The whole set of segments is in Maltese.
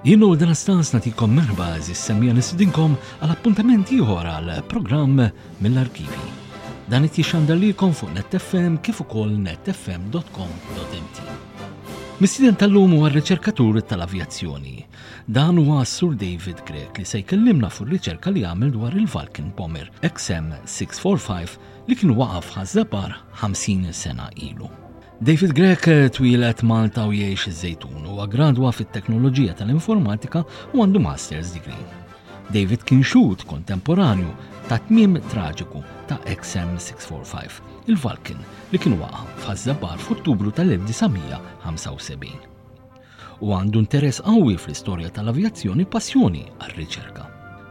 Jien u dan stans natikom merħba għażiż semmiegħa nistidinkom għal appuntament ieħor għal programm mill-arkivi. Dan qed jixxandar lilkom fuq NetFM kif ukoll netfm.com.mt. Mistieden tal-lum huwa r-riċerkatur tal-avjazzjoni. Dan huwa s-Sur David Grech li se jkellimna fuq riċerka li għamel dwar il-Vulcan Bomber XM645 li kien waqaf Ħaż-Żabbar 50 sena ilu. David Grech twieled Malta u jgħix iż-Żejtun. Huwa gradwa fit-teknoloġija tal-informatika u għandu Master's Degree. David kien xhud kontemporanju ta' tmiem traġiku ta' XM645, il-Vulcan li kien waqa' f'Ħaż-Żabbar f'Ottubru tal-1975. u għandu interess qawwi fl-istorja tal-avjazzjoni passjoni għar-riċerka.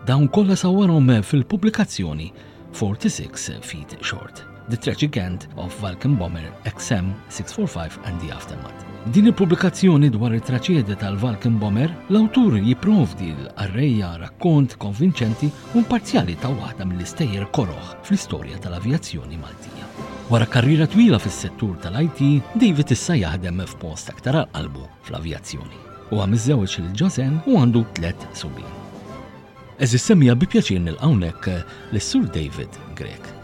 Dawn kollha sawwarhom fil-pubblikazzjoni 46 Feet Short, The Tragic End of Vulcan Bomber XM645 and the Aftermath. Din il-pubblikazzjoni dwar it-traċedja tal-Vulcan Bomber, l-awtur jipprovdi l-qarrejja rakkont konvinċenti u imparzjali ta' waħda mill-istejjer koroh fl-istorja tal-avjazzjoni Maltija. Wara karriera twila fis-settur tal-IT, David issa jaħdem f'post aktar għal qalbu fl-avjazzjoni. Huwa miżżewweġ lil Joseanne u għandu tlett subien. Għeżież semmiegħa bi pjaċir nilqa' hawnhekk lis-Sur David Grech.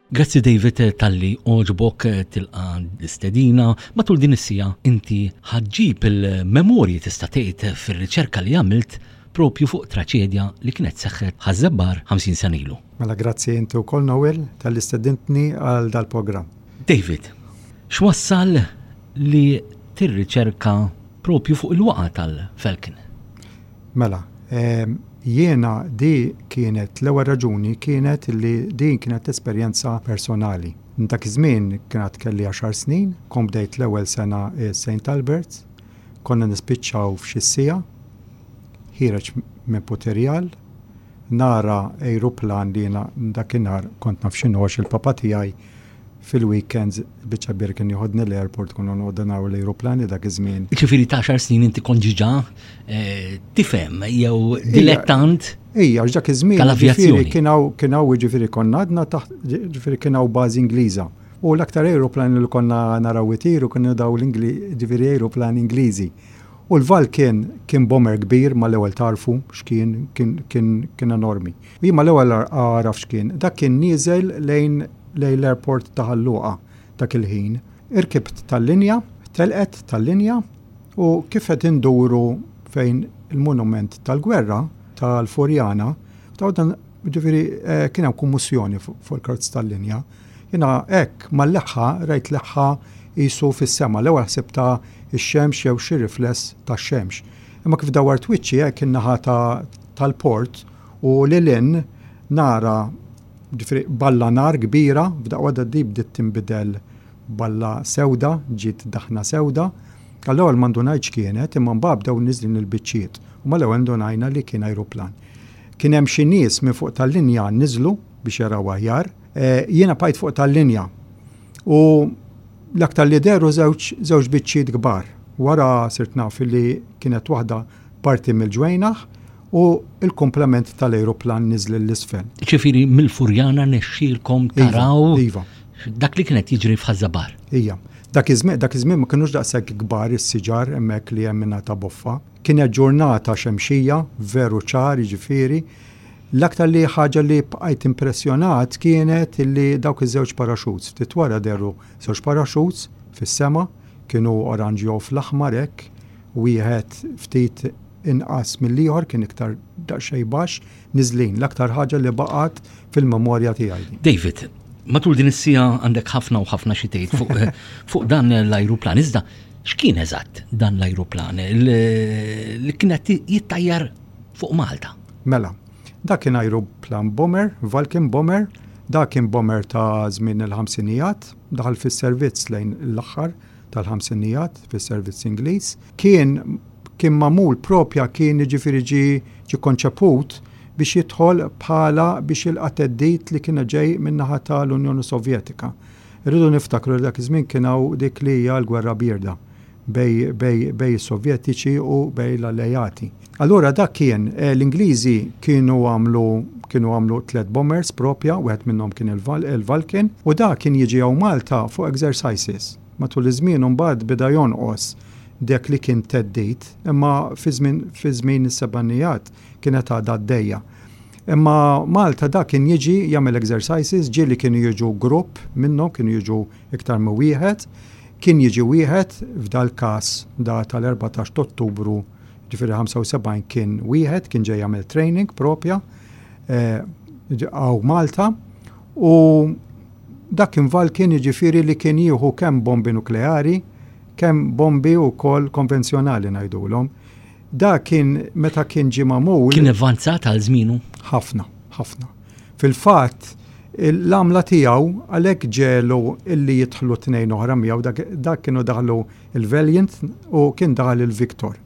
Grazzi David talli għoġbok tilqa l-istedina. Matul din is-siegħa inti ħa ġġib il-memorji tista' tgħid fir-riċerka li għamilt propju fuq traċedja li kienet seħħet Ħaż-Żabbar 50 sena ilu. Mela grazzi inti wkoll Noel talli stedintni għal dal-programm. David, x'wassal li tirriċerka propju fuq il-waqgħa tal-Falcon? Mela, jiena di kienet, l-ewwel raġuni kienet li din kienet esperjenza personali. Dak iż-żmien kien għad kelli għaxar snin, kont bdejt l-ewwel sena St. Albert's, konna nispiċċaw f'xi siegħa, ħiereġ minn Putirjal, nara ajruplan li jiena dakinhar kont naf x'inhu għax il-papa tiegħi Fil-weekends il-biċċa kbira kien joħodni l-airport konna noqogħdu naraw l-ajruplani dak iż-żmien. Ġifieri ta' għaxar snin inti kont ġiġa eh, tifhem jew dilettant. Ejja, għax dak iż-żmien ġifieri kien hawn kien hawn ġifieri konna għadna taħt ġifieri kien hawn bażi Ingliża. U l-aktar ajruplani li konna naraw itiru kienu daw l-Ingli ġifieri ajruplani Ingliżi. U l-Val kien kien bomber kbir mal-ewwel tarfu x'kien kien kien kien enormi. U jien mal-ewwel għaraf x'kien. Dak kien nieżel lejn lejn l-airport ta' Ħal Luqa dak il-ħin. Irkibt tal-linja, telqet tal-linja u kif qed induru fejn il-monument tal-gwerra tal-Furjana, ta' dan ġifieri eh, kien hemm kummussjoni fuq il-karozz tal-linja. Jiena hekk mal-leħħa rajt leħħa qisu fis-sema, l-ewwel ħsibtha x-xemx jew xi rifless tax-xemx. Imma kif dawwart wiċċi hekk in-naħa tal-port u lil hinn nara Ġifieri balla nar kbira, f'daqqa waħda di bdiet tinbidel balla sewda, ġiet daħna sewda. Għall-ewwel ma ndunajtx x'kienet, imma mbagħad bdew niżlin il-biċċiet u mal-ewwel ndunajna li kien ajruplan. Kien hemm xi nies minn fuq tal-linja niżlu biex jaraw aħjar. Jiena bqajt fuq tal-linja u l-aktar li dehru żewġ żewġ biċċiet kbar. Wara sirt naf li kienet waħda parti mill-ġwejnaħ u l-komplement tal-ajruplan niżel 'l isfel. Ġifieri mill-Furjana nexxielkom iva, taraw iva. dak li kien qed jiġri f'Ħaż-Żabbar. Ija. Dak iż-żmien dak iż-żmien ma kinux daqshekk kbar is-siġar hemmhekk li hemm minn ta' Boffa. Kienet ġurnata xemxija, veru ċar, jiġifieri. L-aktar li ħaġa li bqajt impressjonat kienet li dawk iż-żewġ paraxuts. Ftit wara dehru żewġ paraxuts fis-sema, kienu oranġjo fl-aħmar hekk, wieħed ftit inqas mill-ieħor, kien iktar daqsxejn baxx, niżlin. L-aktar ħaġa li baqgħet fil-memorja tiegħi. David, matul din is-siegħa għandek ħafna u ħafna xi tgħid fuq, fuq dan l-ajruplan. Iżda x'kien eżatt dan l-ajruplan li kien qed jittajjar fuq Malta? Mela, dak kien ajruplan bomber, Vulcan bomber, dak kien bomber ta' żmien il-ħamsinijat, daħal fis-servizz lejn l-aħħar tal-ħamsinijat fis-servizz Ingliż. Kien kien magħmul propja kien jiġifieri ġie ġie konċeput biex jidħol bħala biex jilqa' theddid li kien ġej min-naħa tal-Unjoni Sovjetika. Irridu niftakru li dak iż-żmien kien hawn dik li hija l-Gwerra Bierda. bej, bej, bej is-Sovjetiċi u bej l-Alleati. Allura dak kien, eh, l-Ingliżi kienu għamlu kienu għamlu tlet bombers propja, wieħed minnhom kien il-Vulcan, u dak kien jiġi hawn Malta fuq exercises. Matul iż-żmien imbagħad beda jonqos dak li kien theddid, imma fi żmien fi żmien is-sebgħinijat kienet għadha għaddejja. Imma Malta dak kien jiġi jagħmel exercises, ġieli kienu jiġu grupp minnhom, kienu jiġu iktar minn wieħed. Kien jiġi wieħed, f'dal-każ da tal-14 t'Ottubru, ġifieri 75 kien wieħed, kien ġej jagħmel training propja hawn Malta u dak kien Vulcan jiġifieri li kien jieħu kemm bombi nukleari, kemm bombi wkoll konvenzjonali ngħidulhom. Dak kien meta kien ġie magħmul. Kien avvanzat għal żmienu? Ħafna, ħafna. Fil-fatt, l-għamla tiegħu għalhekk ġegħlu illi jidħlu tnejn oħra miegħu, dak, dak kienu daħlu il-Valiant u kien daħal il-Victor.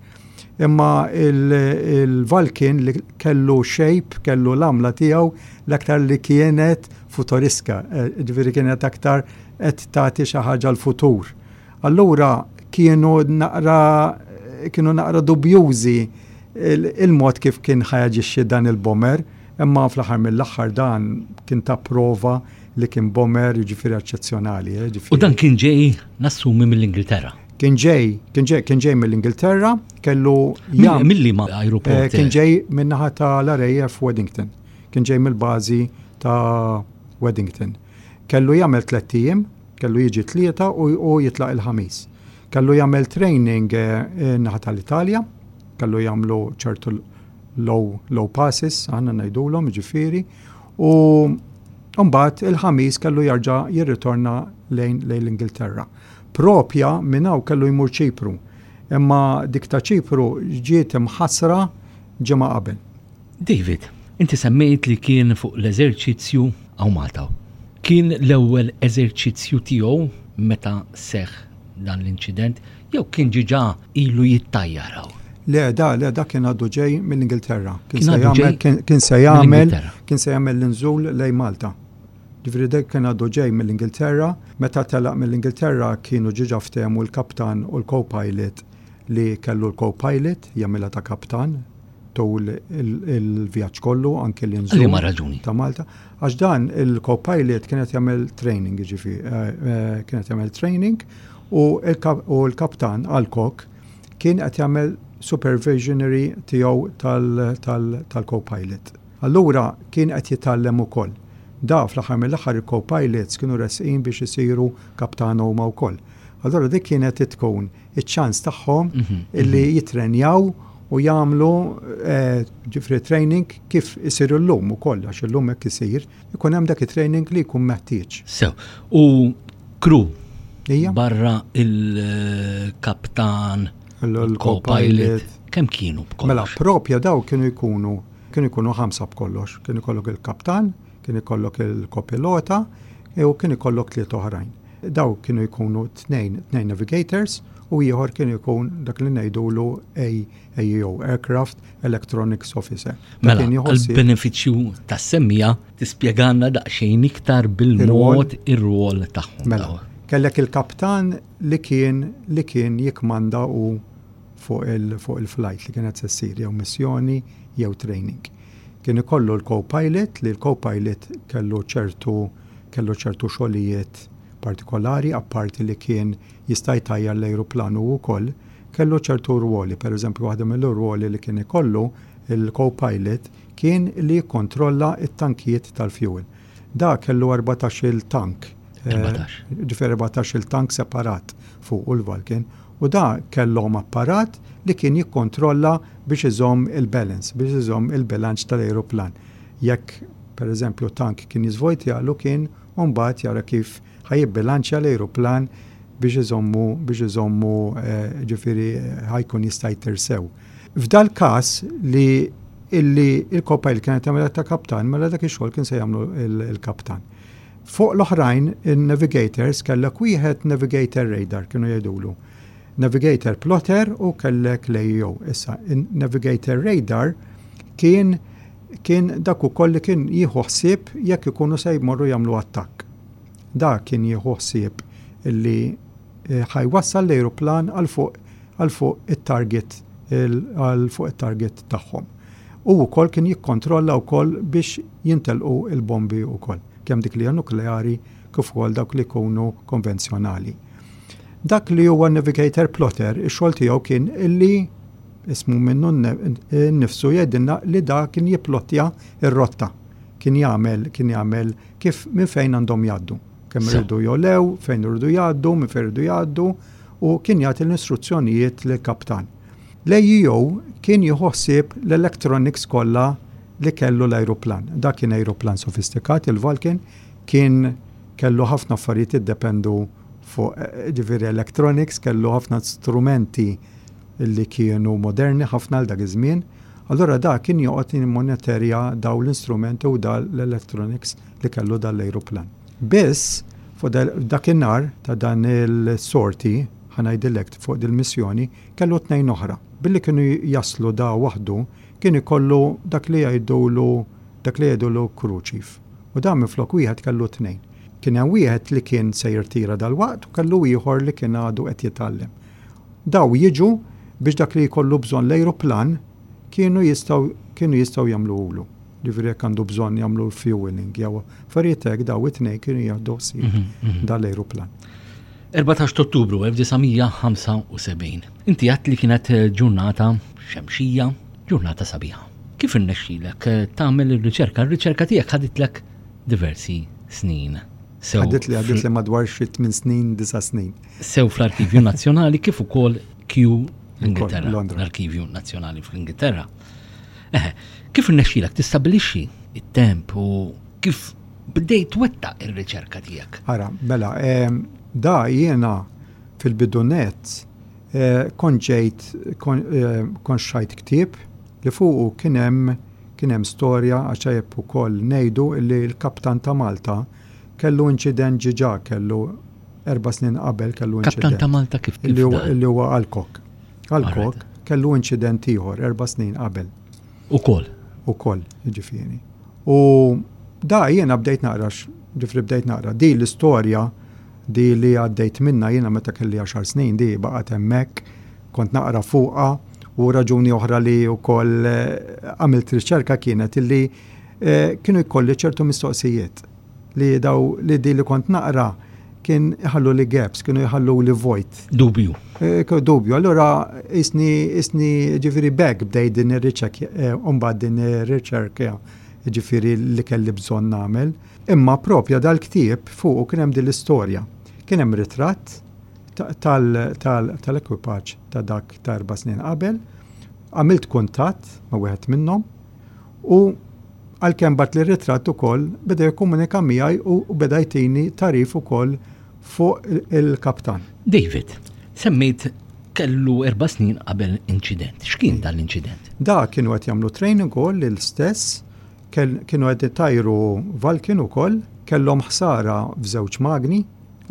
Imma il-Vulcan li kellu shape, kellu l-għamla tiegħu l-aktar li kienet futuriska, eh, ġifieri kienet aktar qed tagħti xi ħaġa l-futur. Allura kienu naqra kienu naqra dubjużi il-mod kif kien ħajaġixxi dan il-bomber, imma fl-aħħar mill-aħħar dan kien ta' prova li kien bomber jiġifieri eċċezzjonali. Eh, U dan kien ġej nassumi mill-Ingilterra. Kien ġej, kien ġej, kien ġej mill-Ingilterra, kellu jam. Milli ma aeroport. Eh, kien ġej min-naħa tal-RAF Weddington. Kien ġej mill-bażi ta' Weddington. Kellu jagħmel tlett ijiem, Kellu jiġi t-Tlieta u jitlaq il-Ħamis. Kellu jagħmel training naħa tal-Italja, kellu jagħmlu ċertu low, low passes, aħna ngħidulhom, ġifieri, u mbagħad il-Ħamis kellu jarġa' jirritorna lejn lejn l-Ingilterra. Propja minn hawn kellu jmur Ċipru, imma dik ta' Ċipru ġiet imħassra ġimgħa qabel. David, inti semmejt li kien fuq l-eżerċizzju hawn Malta. Kien l-ewwel eżerċizzju tiegħu meta seħħ dan l-inċident jew kien ġiġa ilu jittajjar hawn? Le, da, le, da kien għadu ġej mill-Ingilterra. Kien se jagħmel kien se jagħmel kien se jagħmel l-inżul lejn Malta. Ġifieri dak kien għadu ġej mill-Ingilterra, meta telaq mill-Ingilterra kienu ġiġa ftehmu l-kaptan u l-co-pilot li kellu l-co-pilot jagħmilha ta' kaptan tul il-vjaġġ kollu anke l-inżul. Liema raġuni? Ta' Malta. Għax dan il-co-pilot kien qed jagħmel training, jiġifieri eh, eh, kien qed jagħmel training u l-kaptan Alcock kien qed jagħmel supervisionary tiegħu tal-co-pilot. Allura kien qed jitgħallem ukoll. Da fl-aħħar mill-aħħar il-co-pilots kienu resqin biex isiru kaptan huma wkoll. Allura dik kienet tkun iċ-ċans tagħhom mhm, illi mhm. jitrenjaw u jagħmlu eh, ġifri training kif isir illum ukoll għax illum hekk isir, ikun hemm dak it-training li jkun meħtieġ. Sew, u crew barra il-kaptan, il-co-pilot, kemm kienu b'kollox? Mela, propja daw kienu jkunu kienu jkunu ħamsa b'kollox. Kien ikollok il-kaptan, kien ikollok il-kopilota u kien ikollok tliet oħrajn. Daw kienu jkunu tnejn, tnejn navigators u ieħor kien ikun dak li ngħidulu AEO, Aircraft Electronics Officer. Mela, għall-benefiċċju tas-semmija tispjegalna daqsxejn iktar bil-mod ir-rwol tagħhom. Mela, kellek il-kaptan li kien li kien jikmanda u fuq il-flight li kienet se ssir jew missjoni jew training. Kien ikollu l-co-pilot li l-co-pilot kellu ċertu kellu ċertu xogħlijiet partikolari apparti li kien jista' jtajjar l-ajruplan hu wkoll, kellu ċertu rwoli. Per eżempju waħda mill-rwoli li kien ikollu l-co-pilot kien li jikkontrolla t-tankijiet tal-fuel. Da kellu 14-il tank. Ġifieri 14-il tank separat fuqu l-Vulcan u da kellhom apparat li kien jikkontrolla biex iżomm il-balance, biex iżomm il-bilanċ tal-ajruplan. Jekk, per eżempju, tank kien jiżvojtjalu kien mbagħad jara kif ħa jibbilanċja l-ajruplan biex iżommu biex iżommu eh, ġifieri ħa jkun jista' jtir sew. F'dal-każ li illi il-copilot kienet tagħmilha ta' kaptan, mela dak ix-xogħol kien se jagħmlu il-kaptan. Fuq l-oħrajn, in-navigators kellek wieħed navigator radar kienu jgħidulu. Navigator plotter u kellek l-AEO. Issa, in-navigator radar kien kien dak ukoll li kien jieħu ħsieb jekk ikunu se jmorru jagħmlu attakk. Dak kien jieħu ħsieb illi ħa jwassal l-ajruplan għal fuq għal fuq it-target għal fuq it-target tagħhom. U wkoll kien jikkontrolla wkoll biex jintelqu l-bombi wkoll, kemm dik li hija nukleari kif ukoll dawk li jkunu konvenzjonali. Dak li huwa navigator plotter, ix-xogħol tiegħu kien illi ismu minnu nnifsu jgħidilna li da kien jipplottja r-rotta. Kien jagħmel kien jagħmel kif minn fejn għandhom jgħaddu. Kemm iridu jogħlew, fejn iridu jgħaddu, minn fejn iridu jgħaddu u kien jagħti l-istruzzjonijiet lill-kaptan. L-AEO kien jieħu ħsieb l-electronics kollha li kellu l-ajruplan. Dak kien ajruplan sofistikat, il-Vulcan, kien kellu ħafna affarijiet jiddependu fuq ġifieri electronics, kellu ħafna strumenti li kienu moderni ħafna għal dak iż-żmien. Allura dak kien joqgħod jimmonitorja dawn l-instrumenti u dan l-electronics li kellu dan l-ajruplan. Biss fuq dakinhar ta' dan il-sorti, ħa ngħidilek fuq dil-missjoni, kellu tnejn oħra. Billi kienu jaslu da waħdu, kien ikollu dak li jgħidulu dak li jgħidulu crew chief. U dan minflok wieħed kellu tnejn. Kien hemm wieħed li kien se jirtira dalwaqt u kellu ieħor li kien għadu qed jitgħallem. Daw jiġu biex dak li jkollu bżonn l-ajruplan kienu jistgħu kienu jistgħu jagħmluhulu. Ġifieri jekk għandu bżonn jagħmlu l-fueling jew affarijiet hekk daw it-tnejn kienu jieħdu ħsieb mhm, mhm. dal-ajruplan. 14 Ottubru 1975. Inti għat li kienet eh, ġurnata xemxija, ġurnata sabiħa. Kif irnexxilek eh, tagħmel ir-riċerka? Ir-riċerka tiegħek ħaditlek diversi snin. Ħadit li għadit li madwar xi 8 snin, 9 snin. Sew fl-Arkivju Nazzjonali kif ukoll Kew l-Ingilterra. L-Arkivju Nazzjonali fl-Ingilterra. Eh, kif irnexxilek tistabbilixxi it-temp u kif bdejt twettaq ir-riċerka tiegħek? Ara, mela, da jiena fil-bidunet eh, kont ġejt eh, kont xtrajt ktieb li fuqu kien hemm kien hemm storja għax tajjeb ukoll ngħidu li l-kaptan ta' Malta kellu inċident ġiġa kellu erba' snin qabel kellu inċident. Kaptan ta' Malta kif kif Li huwa Alcock. Alcock kellu inċident ieħor erba' snin qabel. Ukoll. Ukoll, jiġifieri. U da jiena bdejt naqra ġifri bdejt naqra di l-istorja di li għaddejt minna jiena meta kelli 10 snin di baqgħet hemmhekk kont naqra fuqha u raġuni oħra li wkoll eh, għamilt riċerka kienet illi eh, kienu jkolli ċertu mistoqsijiet li daw li di li kont naqra kien iħallu li gaps, kienu jħallu li vojt. Dubju. Eh, dubju. Allura isni isni ġifieri bek bdej din ir-riċerka, eh, mbagħad din ir-riċerka ġifieri li kelli bżonn nagħmel. Imma propja dal-ktieb fuqu kien hemm din l-istorja. Kien hemm ritratt tal-ekwipaġġ ta' dak ta' erba' snin qabel, għamilt kuntatt ma' wieħed minnhom u għalkemm bagħatli r-ritratt ukoll beda jikkomunika miegħi u beda jtini tagħrif ukoll fuq il-kaptan. David, semmejt kellu erba' snin qabel inċident. X'kien dan l-inċident? Da kienu qed jagħmlu training ukoll l-istess, kienu qed itajru Vulcan ukoll, kellhom ħsara f'żewġ magni,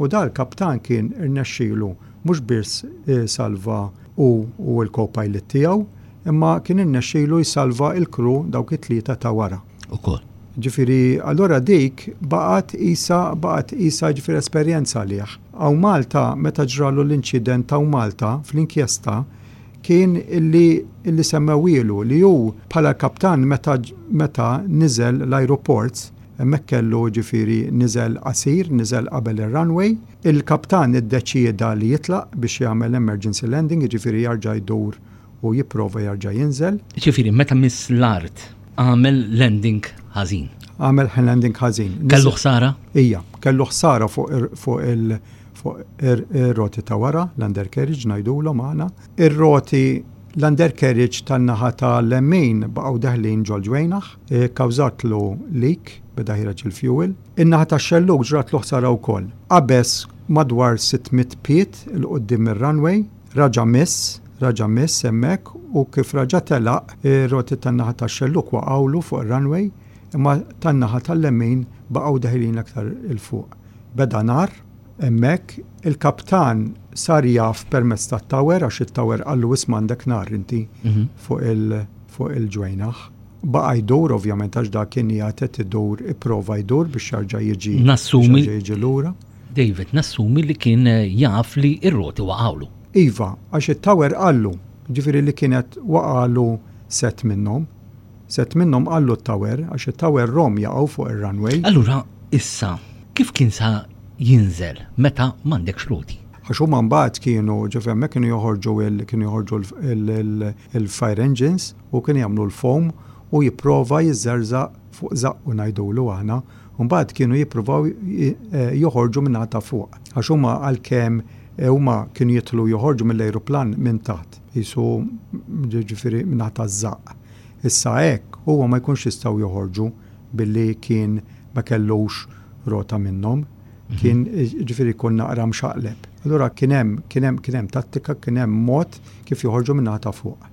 U dal-kaptan kien irnexxielu mhux biss isalva hu u l-co-pilot tiegħu, imma kien irnexxielu jsalva l-crew dawk it-tlieta ta' wara. Ukoll. Ġifieri allura dik baqgħet qisha baqgħet qisha ġifieri esperjenza għalih. Hawn Malta meta ġralu l-inċident hawn Malta fl-inkjesta kien illi illi semmewhielu li hu bħala l-kaptan meta meta niżel l-ajruport Hemmhekk kellu, jiġifieri, niżel qasir, niżel qabel ir-runway. Il-kaptan iddeċieda li jitlaq biex jagħmel emergency landing, jiġifieri jarġa' jdur u jipprova jarġa' jinżel. Jiġifieri meta miss l-art għamel landing ħażin. Għamel landing ħażin. Kellu ħsara? Ija, kellu ħsara fuq il fuq ir-roti ta' wara, l-undercarriage ngħidulhom aħna. Ir-roti l-undercarriage tan-naħa tal-lemin baqgħu deħlin ġol-ġwejnaħ. Ikkawżatlu leak, beda ħiereġ il-fuel. In-naħa tax-xellug ġratlu ħsara wkoll. Qabeż madwar 600 pied 'il quddiem mir-runway, raġa' miss, raġa' miss hemmhekk u kif raġa' telaq, ir-roti tan-naħa tax-xellug waqgħulu fuq ir-runway, imma tan-naħa tal-lemin baqgħu deħlin aktar 'il fuq. Beda nar hemmhekk, il-kaptan sar jaf permezz tat-tower għax it-tower qallu isma' għandek nar inti fuq il fuq il-ġwejnaħ. Baqa' jdur ovvjament għax dak kien qiegħed qed idur ipprova jdur biex jarġa' jiġi Nassumi jiġi lura. David nassumi li kien jaf li r-roti waqgħulu. Iva, għax it-tower qallu, ġifieri li kienet waqagħlu sett minnhom. Sett minnhom qallu t-tower, għax it-tower rom jaqgħu fuq ir-runway. Allura issa kif kien sa jinżel meta m'għandekx roti? Għax huma mbagħad kienu, ġifieri hemmhekk kienu joħorġu il kienu joħorġu il-fire engines u kienu jagħmlu l-foam u jipprova jiżżerżaq fuq żaqqu ngħidulu aħna u mbagħad kienu jippruvaw joħorġu min-naħa ta' fuq. Għax huma għalkemm huma kienu jidħlu joħorġu mill-ajruplan minn taħt, qisu ġifieri min-naħa taż-żaqq. Issa hekk huwa ma jkunx jistgħu joħorġu billi kien ma kellux rota minnhom, kien ġifieri jkun naqra mxaqleb. Allura kien hemm kien hemm kien hemm tattika, kien hemm mod kif joħorġu min-naħa ta' fuq.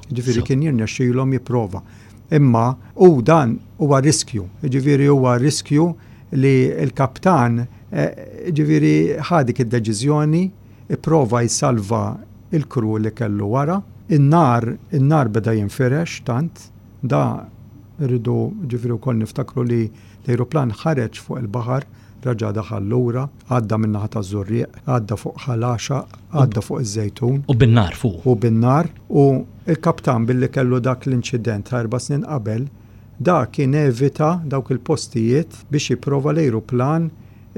Ġifieri kien jirnexxilhom jipprova. Imma u dan huwa riskju, ġifieri huwa riskju li l-kaptan eh, ġifieri ħa dik id-deċiżjoni, ipprova jsalva il-kru li kellu wara. In-nar, in-nar beda jinfirex tant, da rridu ġifieri wkoll niftakru li l-ajruplan ħareġ fuq il-baħar Raġa' daħal lura, għadda min-naħa taż-Żurrieq, għadda fuq Ħal Għaxaq, għadda fuq iż-Żejtun. U bin-nar fuqu. U bin-nar. U l-kaptan billi kellu dak l-inċident ta' erba' snin qabel, da kien evita dawk il-postijiet biex jipprova l-ajruplan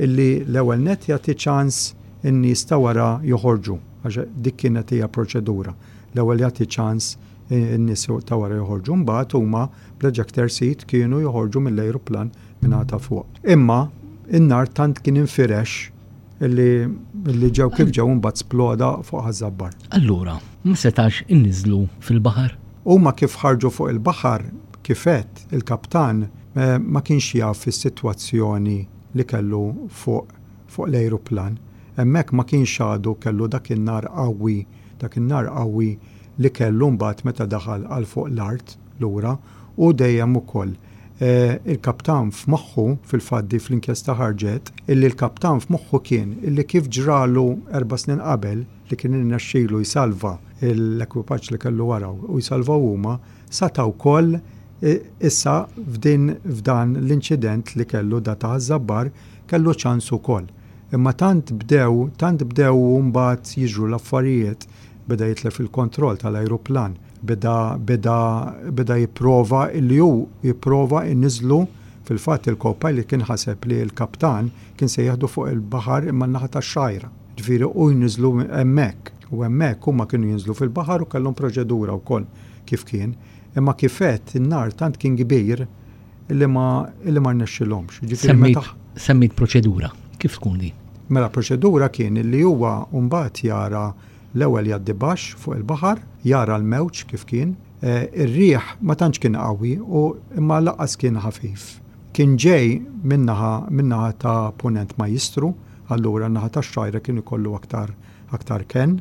illi l-ewwel nett jagħti ċans in-nies ta' wara joħorġu, għax dik kienet hija proċedura. L-ewwel jagħti ċans in-nies ta' wara joħorġu, mbagħad huma bl-ejector seat kienu joħorġu mill-ajruplan mingħata ta' fuq. Imma in-nar tant kien infirex illi illi ġew kif ġew imbagħad sploda fuq Ħaż-Żabbar. Allura, ma setax inniżlu fil-baħar? Huma kif ħarġu fuq il-baħar, kif għedt, il-kaptan ma kienx jaf is-sitwazzjoni li kellu fuq fuq l-ajruplan. Hemmhekk ma kienx għadu kellu dak in-nar qawwi, dak in-nar qawwi li kellu mbagħad meta daħal għal fuq l-art lura u dejjem ukoll Il-kaptan f'moħħu, fil-fatt di fl-inkjesta ħarġet, illi l-kaptan f'moħħu kien illi kif ġralu erba' snin qabel li kien irnexxilu jsalva l-ekwipaġġ li kellu wara u jsalvaw huma, sata' wkoll issa f'din f'dan l-inċident li kellu da ta' Ħaż-Żabbar kellu ċans ukoll. Imma tant bdew, tant bdew mbagħad jiġru l-affarijiet, beda jitlef il-kontroll tal-ajruplan. Beda beda beda jipprova illi hu jipprova jniżżlu fil-fatt il-co-pilot kien ħaseb li l-kaptan kien se jieħdu fuq il-baħar imma n-naħa tax-Xgħajra. Ġifieri hu jniżżlu hemmhekk u hemmhekk huma kienu jinżlu fil-baħar u kellhom proċedura wkoll kif kien. Imma kif għedt in-nar tant kien kbir illi ma illi ma rnexxilhomx. Ġifieri meta Semmejt proċedura. Kif tkun din? Mela proċedura kien illi huwa mbagħad jara L-ewwel jgħaddi baxx fuq il-baħar, jara l-mewġ kif kien. Ir-riħ ma tantx kien qawwi u imma lanqas kien ħafif. Kien ġej min-naħa min-naħa ta' Punent Majjistru, allura n-naħa tax-Xgħajra kien ikollu aktar aktar kenn,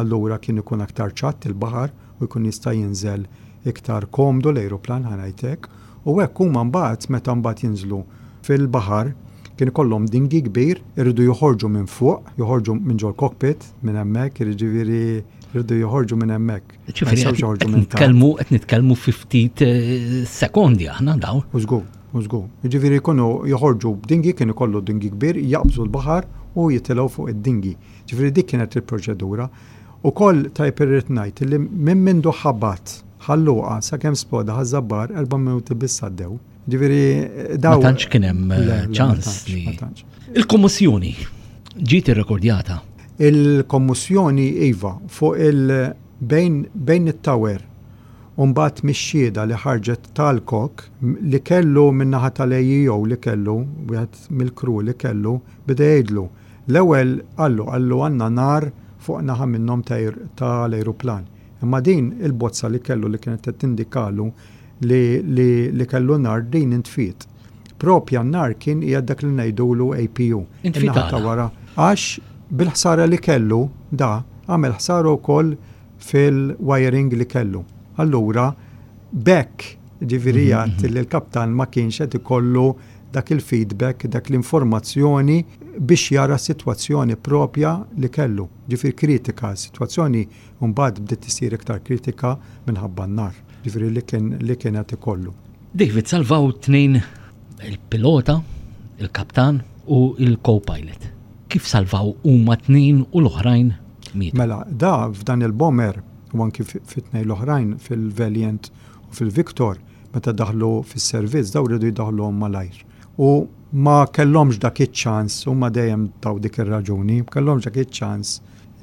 allura kien ikun aktar ċatt il-baħar u jkun jista' jinżel iktar komdu l-ajruplan ħa ngħid hekk. U hekk huma mbagħad meta mbagħad jinżlu fil-baħar kien ikollhom dinghy kbir, iridu joħorġu minn fuq, joħorġu minn ġol-cockpit minn hemmhekk, jiġifieri jridu joħorġu minn hemmhekk. Ġifieri qed nitkellmu qed nitkellmu fi ftit eh, sekondi aħna dawn. U żgur, u żgur. Jiġifieri jkunu joħorġu b'dinghy, kien ikollu dinghy kbir, jaqbżu l-baħar u jitilgħu fuq id-dinghy. Ġifieri dik kienet il-proċedura. Ukoll tajjeb irrid ngħid li minn mindu ħabat Ħal Luqa sakemm sploda Ħaż-Żabbar erba' minuti biss għaddew. Ġifieri daw. Ma tantx kien hemm eh, ċans li. Il-kommossjoni ġiet irrekordjata. Il-kommossjoni iva fuq il bejn bejn it-tower u mbagħad mix-xhieda li ħarġet tal-kok li kellu min-naħa tal-AEO li kellu wieħed mill-crew li kellu beda jgħidlu. L-ewwel qallu qallu għandna nar fuq naħa minnhom tal-ajruplan. Imma din il-bozza li kellu li kienet qed tindikalu li li li kellu nar din intfiet. Propja n-nar kien qiegħed dak li ngħidulu APU. Intfiet In-naħa ta' għala? wara. Għax bil-ħsara li kellu da għamel ħsara wkoll fil-wiring li kellu. Allura b'hekk ġifieri jgħid li l-kaptan ma kienx qed ikollu dak il-feedback, dak l-informazzjoni biex jara s-sitwazzjoni propja li kellu. Ġifieri kritika, sitwazzjoni mbagħad bdiet isir iktar kritika minħabba n-nar. Ġifieri li kien li kien qed ikollu. David salvaw tnejn il-pilota, il-kaptan u il-co-pilot. Kif salvaw huma tnejn u l-oħrajn mietu? Mela, da f'dan il-bomber u anki fit-tnejn l-oħrajn fil-Valiant u fil-Victor, meta daħlu fis-servizz daw riedu jdaħħluhom malajr. U ma kellhomx dak iċ-ċans, huma dejjem taw dik ir-raġuni, ma kellhomx dak iċ-ċans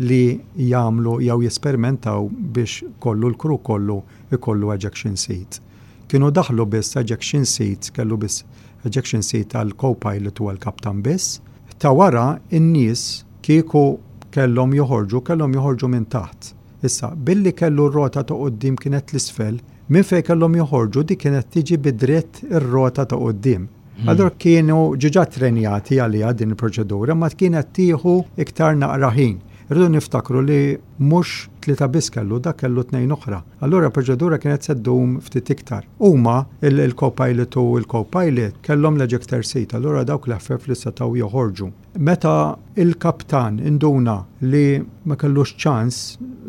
li jagħmlu jew jesperimentaw biex kollu l-crew kollu jkollu ejection seat. Kienu daħlu biss ejection seats, kellu biss ejection seat għall-co-pilot u għall-kaptan biss. Ta' wara n-nies kieku kellhom joħorġu, kellhom joħorġu minn taħt. Issa, billi kellu r-rota ta' quddiem kienet 'l isfel, minn fejn kellhom joħorġu dik kienet tiġi bi dritt ir-rota ta' quddiem. Allura kienu ġiġa ttrenjati għaliha din il-proċedura, imma kienet tieħu iktar naqra ħin. Irridu niftakru li mhux tlieta biss kellu, dak kellu tnejn oħra. Allura l-proċedura kienet se ddum ftit iktar. Huma, il-co-pilot u l-co-pilot, kellhom l-ejector seat, allura dawk l-eħfef li setgħu joħorġu. Meta l-kaptan induna li ma kellux ċans,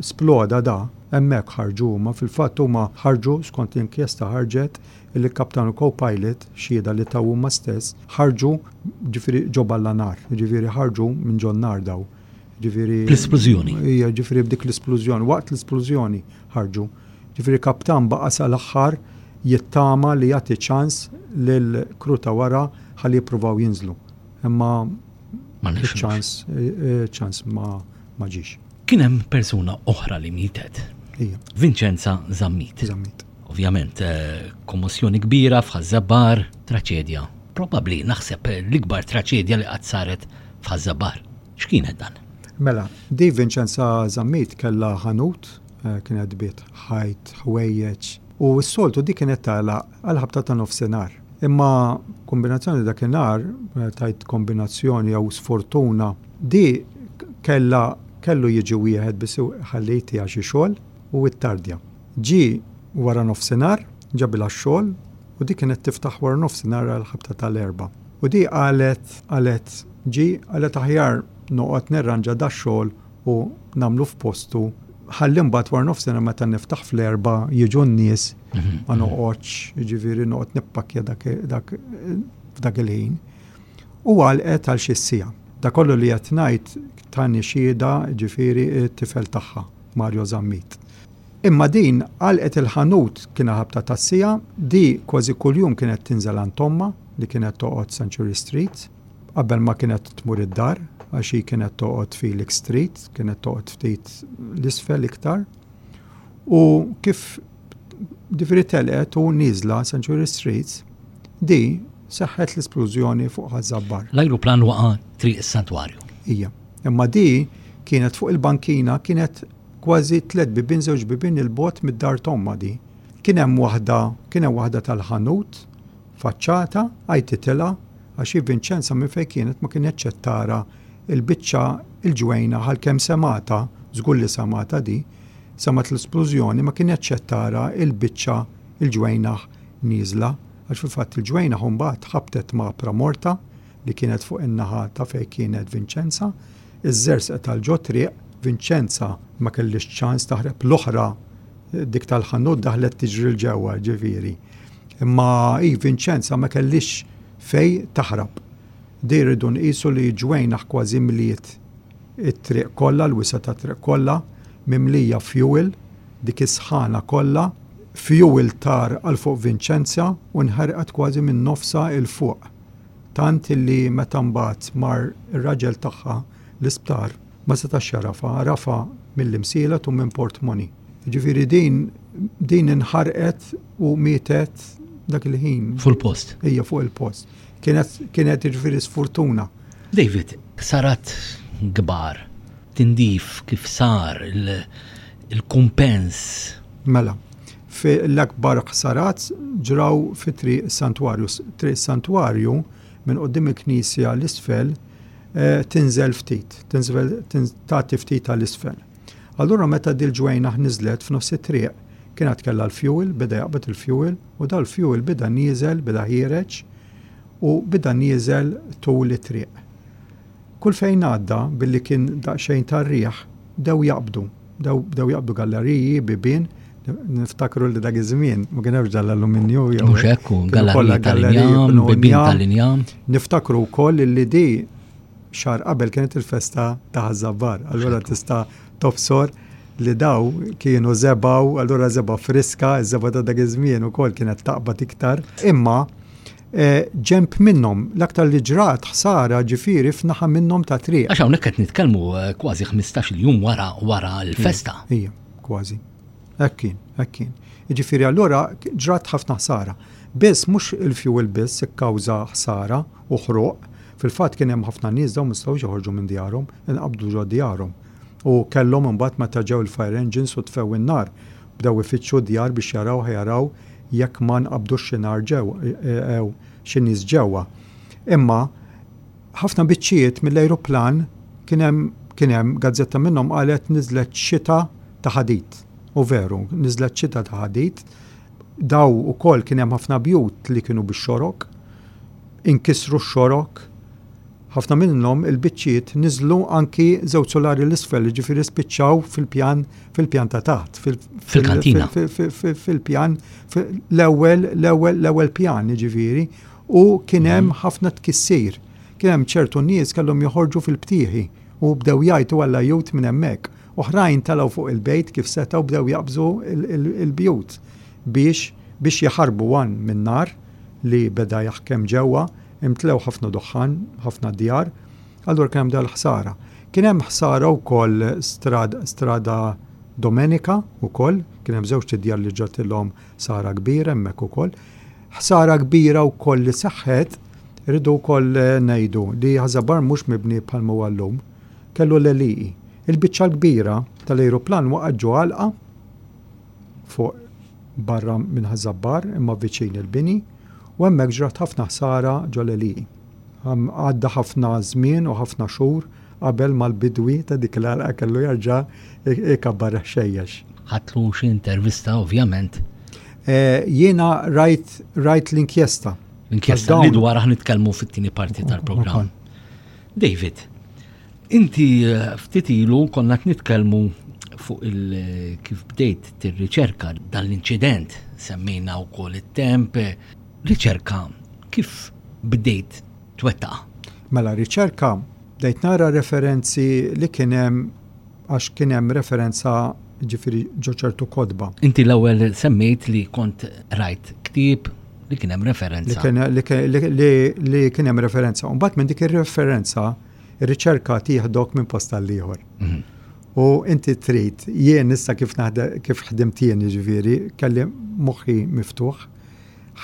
sploda da, hemmhekk ħarġu huma. Fil-fatt huma ħarġu, skont l-inkjesta ħarġet, illi l-kaptan u co-pilot, xhieda li taw huma stess, ħarġu, ġifieri ġo balla nar, jiġifieri ħarġu minn ġo n-nar daw. Ġifieri. Bl-isplużjoni. Ija, ġifieri b'dik l-isplużjoni, waqt l-isplużjoni ħarġu. Ġifieri kaptan baqa' sal-aħħar jittama li jagħti ċans lill-crew ta' wara ħalli jippruvaw jinżlu. Imma ċans ċans ma ma ġiex. Kien hemm persuna oħra li mietet. Ija. Vincenza Zammit. Zammit. Ovvjament, kommossjoni kbira f'Ħaż-Żabbar, traċedja. Probabbli naħseb l-ikbar traċedja li qatt saret f'Ħaż-Żabbar. X'kienet dan? Mela, di Vincenza Zammit kellha ħanut, kienet tbiegħ ħajt, ħwejjeġ, u s-soltu di kienet tagħlaq għall-ħabta ta' nofsinhar. Imma kombinazzjoni dakinhar, tgħid kombinazzjoni jew sfortuna, di kellha kellu jiġi wieħed biss ħalli jtiha xi xogħol u ittardja. Ġie wara nofsinhar, ġabilha x-xogħol u di kienet tiftaħ wara nofsinhar għall-ħabta tal-erbgħa. U di qalet, qalet, ġie, qalet aħjar noqgħod nirranġa dax-xogħol u nagħmlu f'postu ħalli mbagħad wara nofsinhar meta niftaħ fl-erbgħa jiġu n-nies ma noqgħodx, jiġifieri noqgħod nippakkja dak, dak f'dak il-ħin. U għalqet għal xi siegħa. Dak kollu li qed ngħid tani xhieda jiġifieri t-tifel tagħha, Mario Zammit. Imma din għalqet il-ħanut kien ħabta tas-siegħa, di kważi kuljum kienet tinżel għand ommha li kienet toqgħod Century Street qabel ma kienet tmur id-dar għax hi kienet toqgħod Felix Street, kienet toqgħod ftit l-isfel iktar. U kif ġifieri telqet u nieżla Century Street, di seħħet l-isplużjoni fuq Ħaż-Żabbar. L-ajruplan waqa' Triq is-Santwarju. Ija. Imma di kienet fuq il-bankina kienet Kważi tlett bibien żewġ bibien 'il bogħod mid-dar t'ommha di. Kien hemm waħda, kien hemm waħda tal-ħanut, faċċata, għajtitilha għax hi Vinċenza minn fejn kienet ma kinetx qed tara l-biċċa l-ġwejnaħ għalkemm semgħetha, żgur li semgħetha di, semgħet l-isplużjoni ma kinetx qed tara l-biċċa l-ġwejnaħ nieżla għax fil-fatt il-ġwejnaħ imbagħad ħabtet ma' pramorta li kienet fuq in-naħa ta' fejn kienet Vinċenza. Iż-żersqet għal ġo triq, Vinċenza ma kellhiex ċans taħreb l-oħra dik tal-ħanut daħlet tiġri 'l ġewwa ġifieri. Imma hi Vinċenza ma kellhiex fejn taħrab. Di rridu nqisu li ġwejnaħ kważi mliet it-triq kollha, l-wisa' tat-triq kollha, mimlija fjuwil, dik is-sħana kollha, fjuwil tar għal fuq Vinċenza u nħerqet kważi minn nofsha 'l fuq. Tant illi meta mbagħad mar ir-raġel tagħha l-isptar ma setax jagħrafha, għarafha mill-Imsielet u minn Portmoni. Jiġifieri din din inħarqet u mietet dak il-ħin. Fuq il-post. Ija fuq il-post. Kienet kienet jiġifieri sfortuna. David, ħsarat kbar, tindif kif sar, il-kumpens. Mela, L-akbar ħsarat ġraw fi Triq is-Santwarju. Triq is-Santwarju minn quddiem il-knisja 'l isfel tinżel ftit, tinżel tagħti ftit għal isfel. Allura meta dil-ġwejnaħ niżlet f'nofs it-triq, kien għad kellha l-fuel, beda jaqbad il-fuel u dal-fuel beda nieżel, beda ħiereġ u beda nieżel tul it-triq. Kull fejn għadda, billi kien daqsxejn tar-riħ, bdew jaqbdu. Bdew jaqbdu galleriji, bibien, niftakru li dak iż-żmien ma kien hemmx dal-alluminju jew. Mhux hekk, galleriji tal-injam, bibien tal-injam. Niftakru wkoll li di xahar qabel kienet il-festa ta' Ħaż-Żabbar. Allura tista' tobsor li daw kienu żebgħu, allura żebgħa friska, iż-żebgħa ta' dak iż-żmien ukoll kienet taqbad iktar. Imma eh, ġemp minnhom, l-aktar li ġrat ħsara ġifieri f'naħa minnhom ta' triq. Għax hawnhekk qed nitkellmu eh, kważi 15-il jum wara wara l-festa. Ija, kważi. Hekk kien, hekk kien. Jiġifieri allura ġrat ħafna ħsara. Biss mhux il-fuel biss ikkawża ħsara u ħruq, fil-fatt kien hemm ħafna nies dawn ma setgħux joħorġu minn djarhom, inqabdu ġo djarhom. U kellhom imbagħad meta ġew il-fire engines u tfew in-nar, bdew ifittxu d-djar biex jaraw ħa jaraw jekk ma nqabdux xi nar ġewwa jew xi nies ġewwa. Imma ħafna biċċiet mill-ajruplan kien hemm kien hemm gazzetta minnhom qalet niżlet xita ta' ħadid. U veru, niżlet xita ta' ħadid. Daw ukoll kien hemm ħafna bjut li kienu bix-xorok, inkisru x-xorok, ħafna minnhom il-biċċiet niżlu anki żewġ solari l-isfel, jiġifieri spiċċaw fil-pjan fil-pjan ta' taħt, fil-kantina. Fil-pjan l-ewwel l-ewwel l-ewwel pjan, jiġifieri, u kien hemm mhm. ħafna tkissir. Kien hemm ċertu nies kellhom joħorġu fil-btieħi u bdew jgħajtu għall-ajjut minn hemmhekk. Oħrajn telgħu fuq il-bejt kif setgħu bdew jaqbżu il-bjut biex biex jaħarbu għan min-nar li beda jaħkem ġewwa, imtlew ħafna duħħan, ħafna djar, allura kien hemm dal-ħsara. Kien hemm ħsara wkoll strad, strada Domenica wkoll, kien hemm żewġt idjar li ġratilhom ħsara kbira hemmhekk ukoll. Ħsara kbira wkoll li seħħet, irridu wkoll ngħidu li Ħaż-Żabbar mhux mibni bħalma huwa llum. Kellu l-għelieqi. Il-biċċa l-kbira tal-ajruplan waqgħet ġo għalqa fuq barra minn Ħaż-Żabbar imma viċin il-bini u hemmhekk ġrat ħafna ħsara ġo l-għelieqi. Għadda ħafna żmien u ħafna xhur qabel ma l-bidwi ta' dik l-għalqa kellu jerġa' jkabbar il-ħxejjex. Ħadtlu xi intervista ovvjament? Jiena rajt rajt l-inkjesta. L-inkjesta li dwarha nitkellmu fit-tieni parti tal-programm. David, inti eh, ftit ilu konna qed nitkellmu fuq il kif bdejt tirriċerka dan l-inċident, semmejna wkoll it-temp, riċerka kif bdejt twettaqha? Mela riċerka bdejt nara referenzi li kien hemm għax kien hemm referenza ġifieri ġo ċertu kotba. Inti l-ewwel semmejt li kont rajt ktieb li kien hemm referenza. Li kien hemm referenza. U mbagħad minn dik ir-referenza ir-riċerka tieħdok minn post għal ieħor. Mhm. U inti trid, jien issa kif kif ħdimt jien jiġifieri, kelli moħħi miftuħ,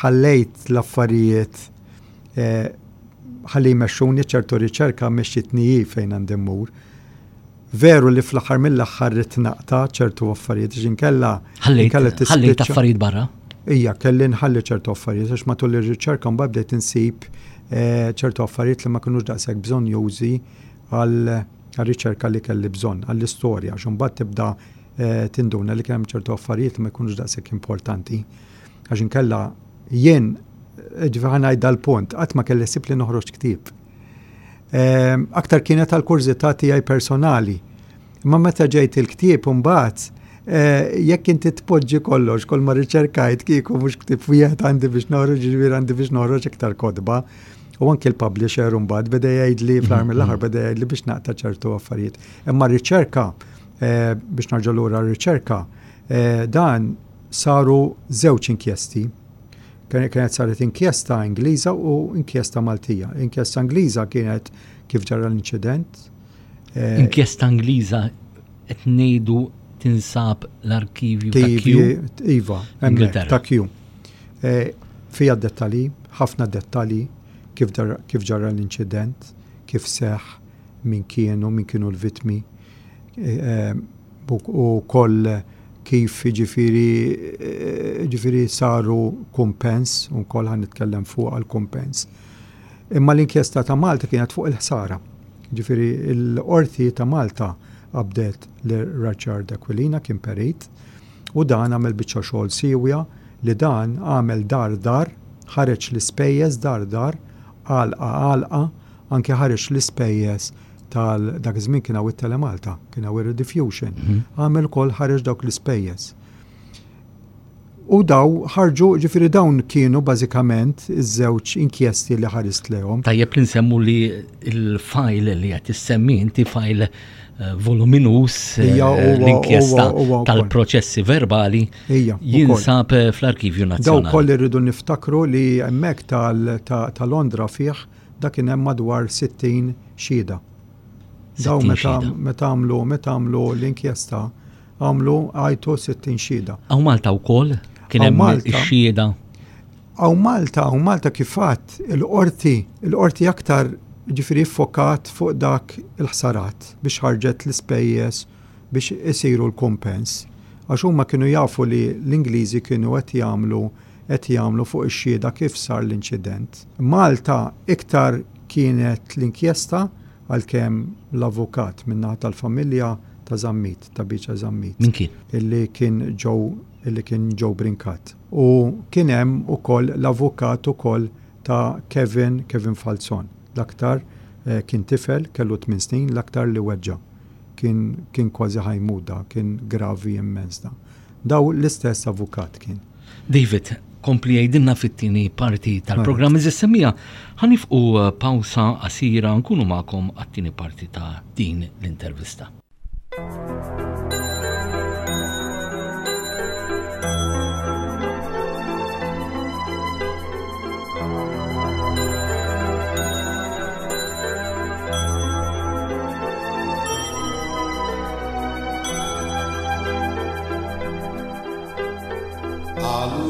ħallejt l-affarijiet eh, ħalli jmexxuni ċertu riċerka mexxitni hi fejn għandi mmur. Veru li fl-aħħar mill-aħħar ridt naqta' ċertu affarijiet għax inkella ħallejt affarijiet barra. Ija, kelli nħalli ċertu affarijiet għax matul ir-riċerka mbagħad bdejt insib eh, ċertu affarijiet li ma kinux daqshekk bżonn jużi għal riċerka li kelli bżonn, għall-istorja, għax imbagħad tibda eh, tinduna li kien hemm ċertu affarijiet li ma jkunux daqshekk importanti. Għax inkella jien eh, ġifieri ħa ngħid dal-punt, qatt ma kelli ħsieb li noħroġ ktieb. Ehm, aktar kienet għal kurżità tiegħi personali. Imma meta ġejt il-ktieb imbagħad eh, jekk inti tpoġġi kollox, kull ma riċerkajt kieku mhux ktieb wieħed għandi biex noħroġ, ġifieri għandi biex noħroġ iktar kotba. U anki l-publisher imbagħad beda jgħidli fl-aħħar mhm. mill-aħħar beda jgħidli biex naqta' ċertu affarijiet. Imma riċerka eh, biex narġa' lura r-riċerka, eh, dan saru żewġ inkjesti Kienet saret inkjesta Ingliża u inkjesta Maltija. Inkjesta Ingliża kienet kif ġara l-inċident. Eh, inkjesta Ingliża qed ngħidu tinsab l-arkivju ta' Q. Iva, ta' Q. Eh, fija dettali, ħafna dettali kif ġara l-inċident, kif seħ, min kienu, min kienu l-vitmi. Eh, u koll kif jiġifieri jiġifieri saru kumpens, u wkoll ħa nitkellem fuq għall-kumpens. Imma l-inkjesta ta' Malta kienet fuq il-ħsara. Jiġifieri l-qorti ta' Malta qabdet lil Richard Aquilina kien perit u dan għamel biċċa xogħol siewja li dan għamel dar dar, ħareġ l-ispejjeż dar dar, għalqa għalqa, anke ħareġ l-ispejjeż tal dak iż-żmien kien hawn it-Telemalta, kien hawn ir-Rediffusion. Mhm. Għamel ukoll ħareġ dawk l-ispejjeż. U daw ħarġu, ġifieri dawn kienu bażikament iż-żewġ inkjesti li ħarist lehom. Tajjeb li nsemmu li l-fajl li qed issemmi inti fajl eh, voluminus eh, l-inkjesta tal-proċessi verbali jinsab eh, fl-Arkivju Nazzjonali. Daw koll irridu niftakru li hemmhekk ta' Londra fih dak kien hemm madwar 60 xhieda. Daw meta għamlu meta għamlu l-inkjesta Għamlu għajtu 60 xhieda. Hawn Malta wkoll kien hemm ix-xhieda. Hawn Malta, hawn Malta kif għadt, il-qorti, il-qorti aktar ġifieri ffokat fuq dak il-ħsarat biex ħarġet l-ispejjeż biex isiru l-kumpens. Għax huma kienu jafu li l-Ingliżi kienu qed jagħmlu qed jagħmlu fuq ix-xhieda kif sar l-inċident. Malta iktar kienet l-inkjesta għalkemm l-avukat min-naħa tal-familja ta' Zammit, ta' Biċa Zammit. Min kien? Illi kien Joe, illi kien Joe Brincat. U kien hemm ukoll l-avukat ukoll ta' Kevin, Kevin Falzon. L-aktar eh, kien tifel, kellu 8 snin, l-aktar li weġġa'. Kien, kien kważi ħajmut da, kien gravi immens da. Daw l-istess avukat kien. David, kompli jgħidilna fit-tieni parti tal-programm iżda semmija ħanifqu eh, pawsa qasira nkunu magħkom għat-tieni parti ta' din l-intervista. Qalu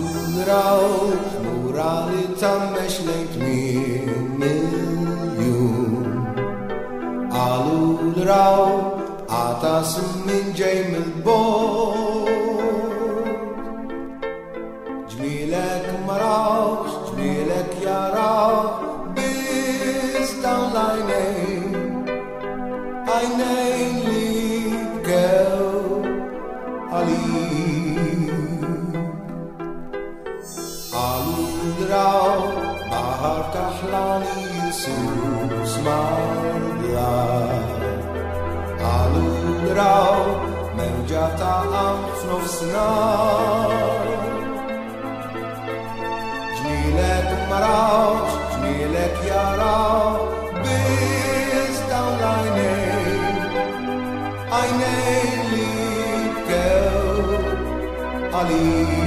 rawh lura li tammex lejn tmiem il-jum. Qalu raw għatas min ġej mill-bogħod. Ġmielek ma rawx, ġmielek jaraw biss dawn l-għajnejn. Għajnejn li bkew għalik. Qalu draw baħar kaħlani jisus mal-blat. Qalu draw mewġa ta' qamħ f'nofsinhar. Ġmielek ma rawx, ġmielek jaraw, biss dawn l-għajnejn. Għajnejn li bkew għalik.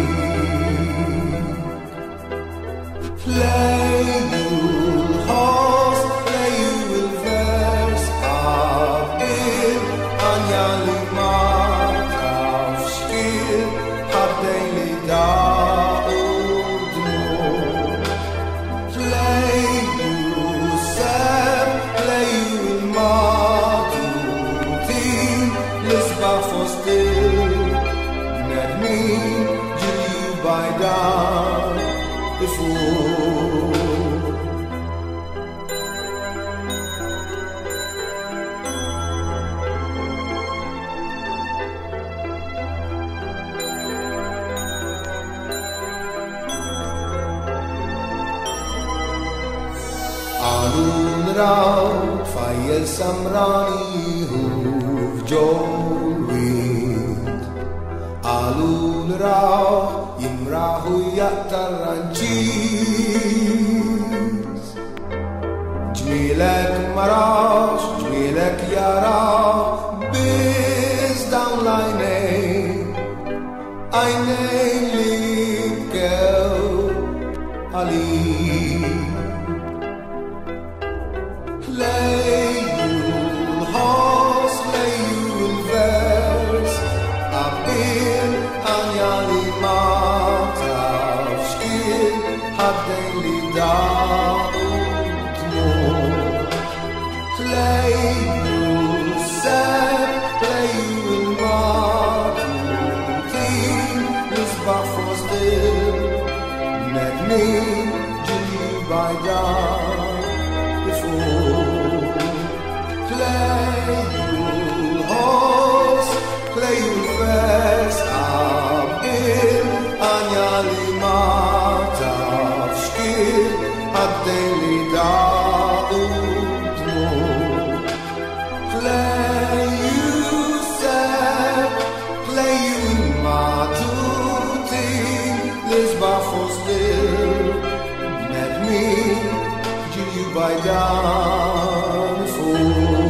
Lejju l-ħoss, lejju l-vers, qabbil għanja li ma tafx kien, ħaddejn li daqu dmugħ. Lejju s-sebħ, lejju l-matutin, l-isbaħ fost il-bnedmin, ġilju bajdan ifur. Qalu nraw tfajjel samrani jieħu f'ġol-wied. Qalu nraw jimraħ u jaqta' r-ranċiż. Ġmielek ma rawx, ġmielek jaraw biss dawn l-għajnejn. Għajnejn li bkew għalik. Lejju l-ħoss, lejju l-vers, qabbil għanja li ma tafx kien, ħaddejn li daqu dmugħ. Lejju s-sebħ, lejju l-matutin, l-isbaħ fost il-bnedmin, ġilju bajdan ifur. Lejju l-ħoss, lejju l-vers, qabbil għanja li ma tafx kien, ħaddejn li daqu dmugħ. Lejju s-sebħ, lejju l-matutin, Majdan fuq.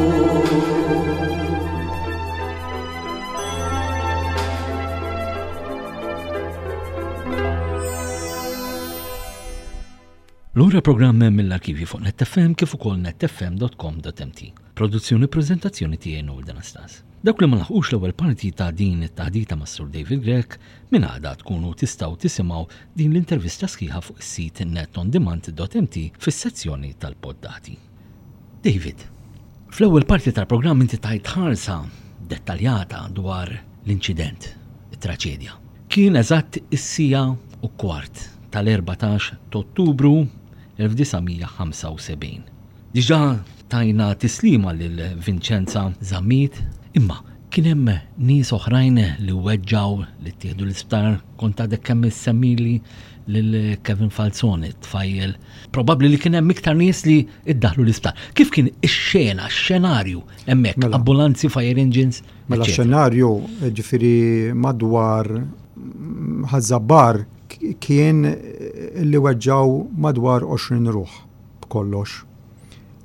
Lura programm mill-arkivji fuq netfm kif ukoll netfm.com.mt. Produzzjoni preżentazzjoni tiegħi Noel Anastas. Dawk li ma laħqux l-ewwel parti ta' din it-taħdita mas-Sur David Grech, minn għada tkunu tistgħu tisimgħu din l-intervista sħiħa fuq is-sit netondemand.mt fis-sezzjoni tal-poddati. David, fl-ewwel parti tal-programm inti tajt ħarsa dettaljata dwar l-inċident, it-traċedja. Kien eżatt is-siegħa u kwart tal-14 t'Ottubru 1975. Diġà tajna tislima lil Vincenza Zammit, imma kien hemm nies oħrajn li weġġgħu, li ttieħdu l-isptar, kont għadek kemm issemmili lil Kevin Falzon, it-tfajjel. Probabbli li kien hemm iktar nies li iddaħlu l-isptar. Kif kien ix-xena, x-xenarju hemmhekk, mela. ambulanzi, fire engines? Mela xenarju, ġifieri madwar Ħaż-Żabbar kien li weġġgħu madwar 20 ruħ. b'kollox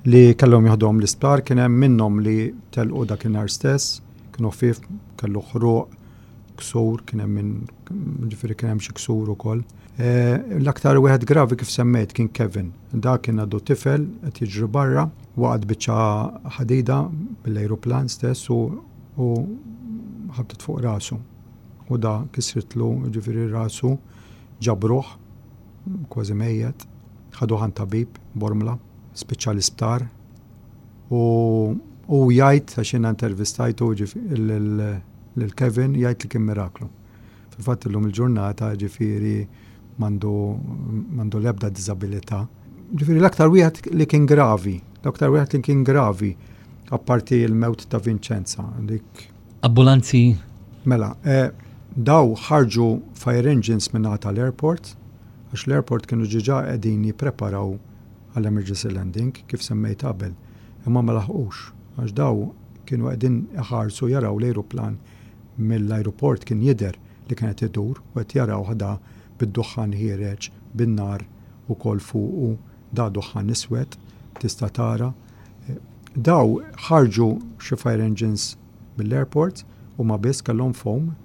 li kellhom jaħduhom l-isptar, kien hemm minnhom li telqu dakinhar stess, kienu ħfief, kellu ħruq, ksur, kien hemm min ġifieri kien hemm xi ksur ukoll. Eh, l-aktar wieħed gravi kif semmejt kien Kevin. Da kien għadu tifel qed jiġri barra, waqgħet biċċa ħadida mill-ajruplan stess u u ħabtet fuq rasu. U da kisritlu ġifieri rasu ġabruh kważi mejjet, ħaduh għand tabib Bormla, spiċċa l-isptar u hu jgħid għax jiena intervistajtu lil Kevin jgħid li kien miraklu. Fil-fatt illum il-ġurnata ġifieri m'għandu m'għandu l-ebda diżabilità. Ġifieri l-aktar wieħed li kien gravi, l-aktar wieħed li kien gravi apparti l-mewt ta' Vincenza dik. Ambulanzi? Mela, eh, daw ħarġu fire engines minn tal-airport, għax l-airport kienu ġiġa qegħdin jippreparaw għall-emergency landing, kif semmejt qabel, imma ma laħqux, għax daw kienu qegħdin iħarsu jaraw l-ajruplan mill-ajruport kien jidher li kien qed idur u qed jarawh da bid-duħħan ħiereġ, bin-nar ukoll fuqu, da duħħan iswed, tista' tara. Daw ħarġu xi fire engines mill-airport, huma biss kellhom foam.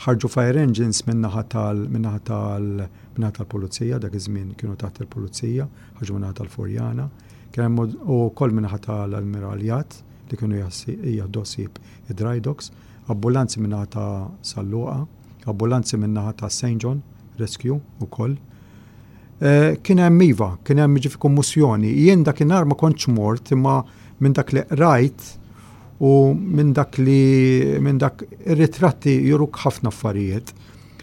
Ħarġu fire engines min-naħa tal min-naħa tal min-naħa tal-pulizija, dak iż-żmien kienu taħt il-pulizija, ħarġu min-naħa tal-Furjana. Kien hemm ukoll min-naħa tal-Ammiraljat li kienu jieħdu ħsieb id-dry docks, ambulanzi min-naħa ta' San Luqa, ambulanzi min-naħa ta' St. John Rescue ukoll. Eh, kien hemm iva, kien hemm ġifi kommossjoni. Jien dakinhar ma kontx mort imma minn dak li qrajt u minn dak li minn dak ir-ritratti juruk ħafna affarijiet.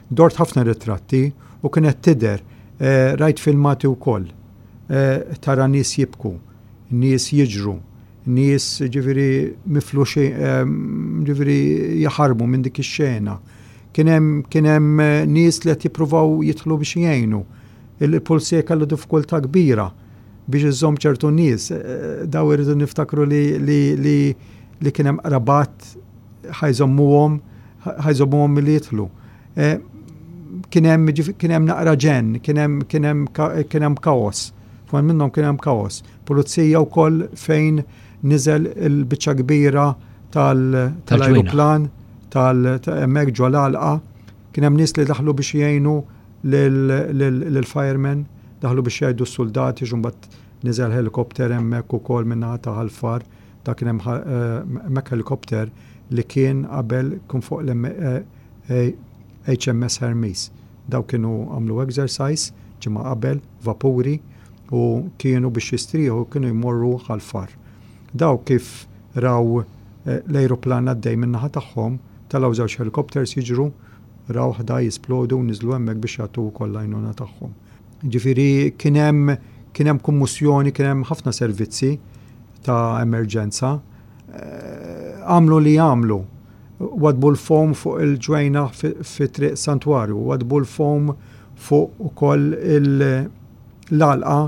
Dort ħafna ritratti u kienet tidher eh, rajt filmati wkoll. Eh, tara nies jibku, nies jiġru, nies ġifieri mifluxi eh, ġifieri jaħarbu minn dik ix-xena. Kien hemm kien hemm nies li qed jippruvaw jidħlu biex jgħinu. Il-pulizija kellu diffikultà kbira biex iżomm ċertu nies. Eh, daw irridu niftakru li, li, li, li kien hemm qrabat ħajżommuhom ħajżommuhom milli jidħlu. Eh, kien hemm kien hemm naqra ġenn, kien hemm kien hemm kien hemm kaos. Fuq minnhom kien hemm kaos. Pulizija wkoll fejn niżel il-biċċa kbira tal-ajruplan tal-hemmhekk ġol għalqa kien hemm nies li daħlu biex jgħinu lill-firemen, daħlu biex jgħidu s-suldati x'imbagħad niżel helikopter hemmhekk ukoll min-naħa ta' Ħal Far, dak kien hemm hemmhekk helikopter li kien qabel kien fuq l-HMS Hermes. Daw kienu għamlu exercise ġimgħa qabel, vapuri, u kienu biex jistrieħu kienu jmorru Ħal Far. Daw kif raw l-ajruplan għaddej min-naħa tagħhom, telgħu żewġ helikopters jiġru Rawh da jisplodu u niżlu hemmhekk biex jagħtu wkoll l-għajnuna tagħhom. Ġifieri kien hemm kien hemm kummussjoni, kien hemm ħafna servizzi ta' emerġenza. Eh, għamlu li għamlu. Wadbu l-fom fuq il-ġwejna fi triq Santwarju, wadbu l-fom fuq ukoll l-għalqa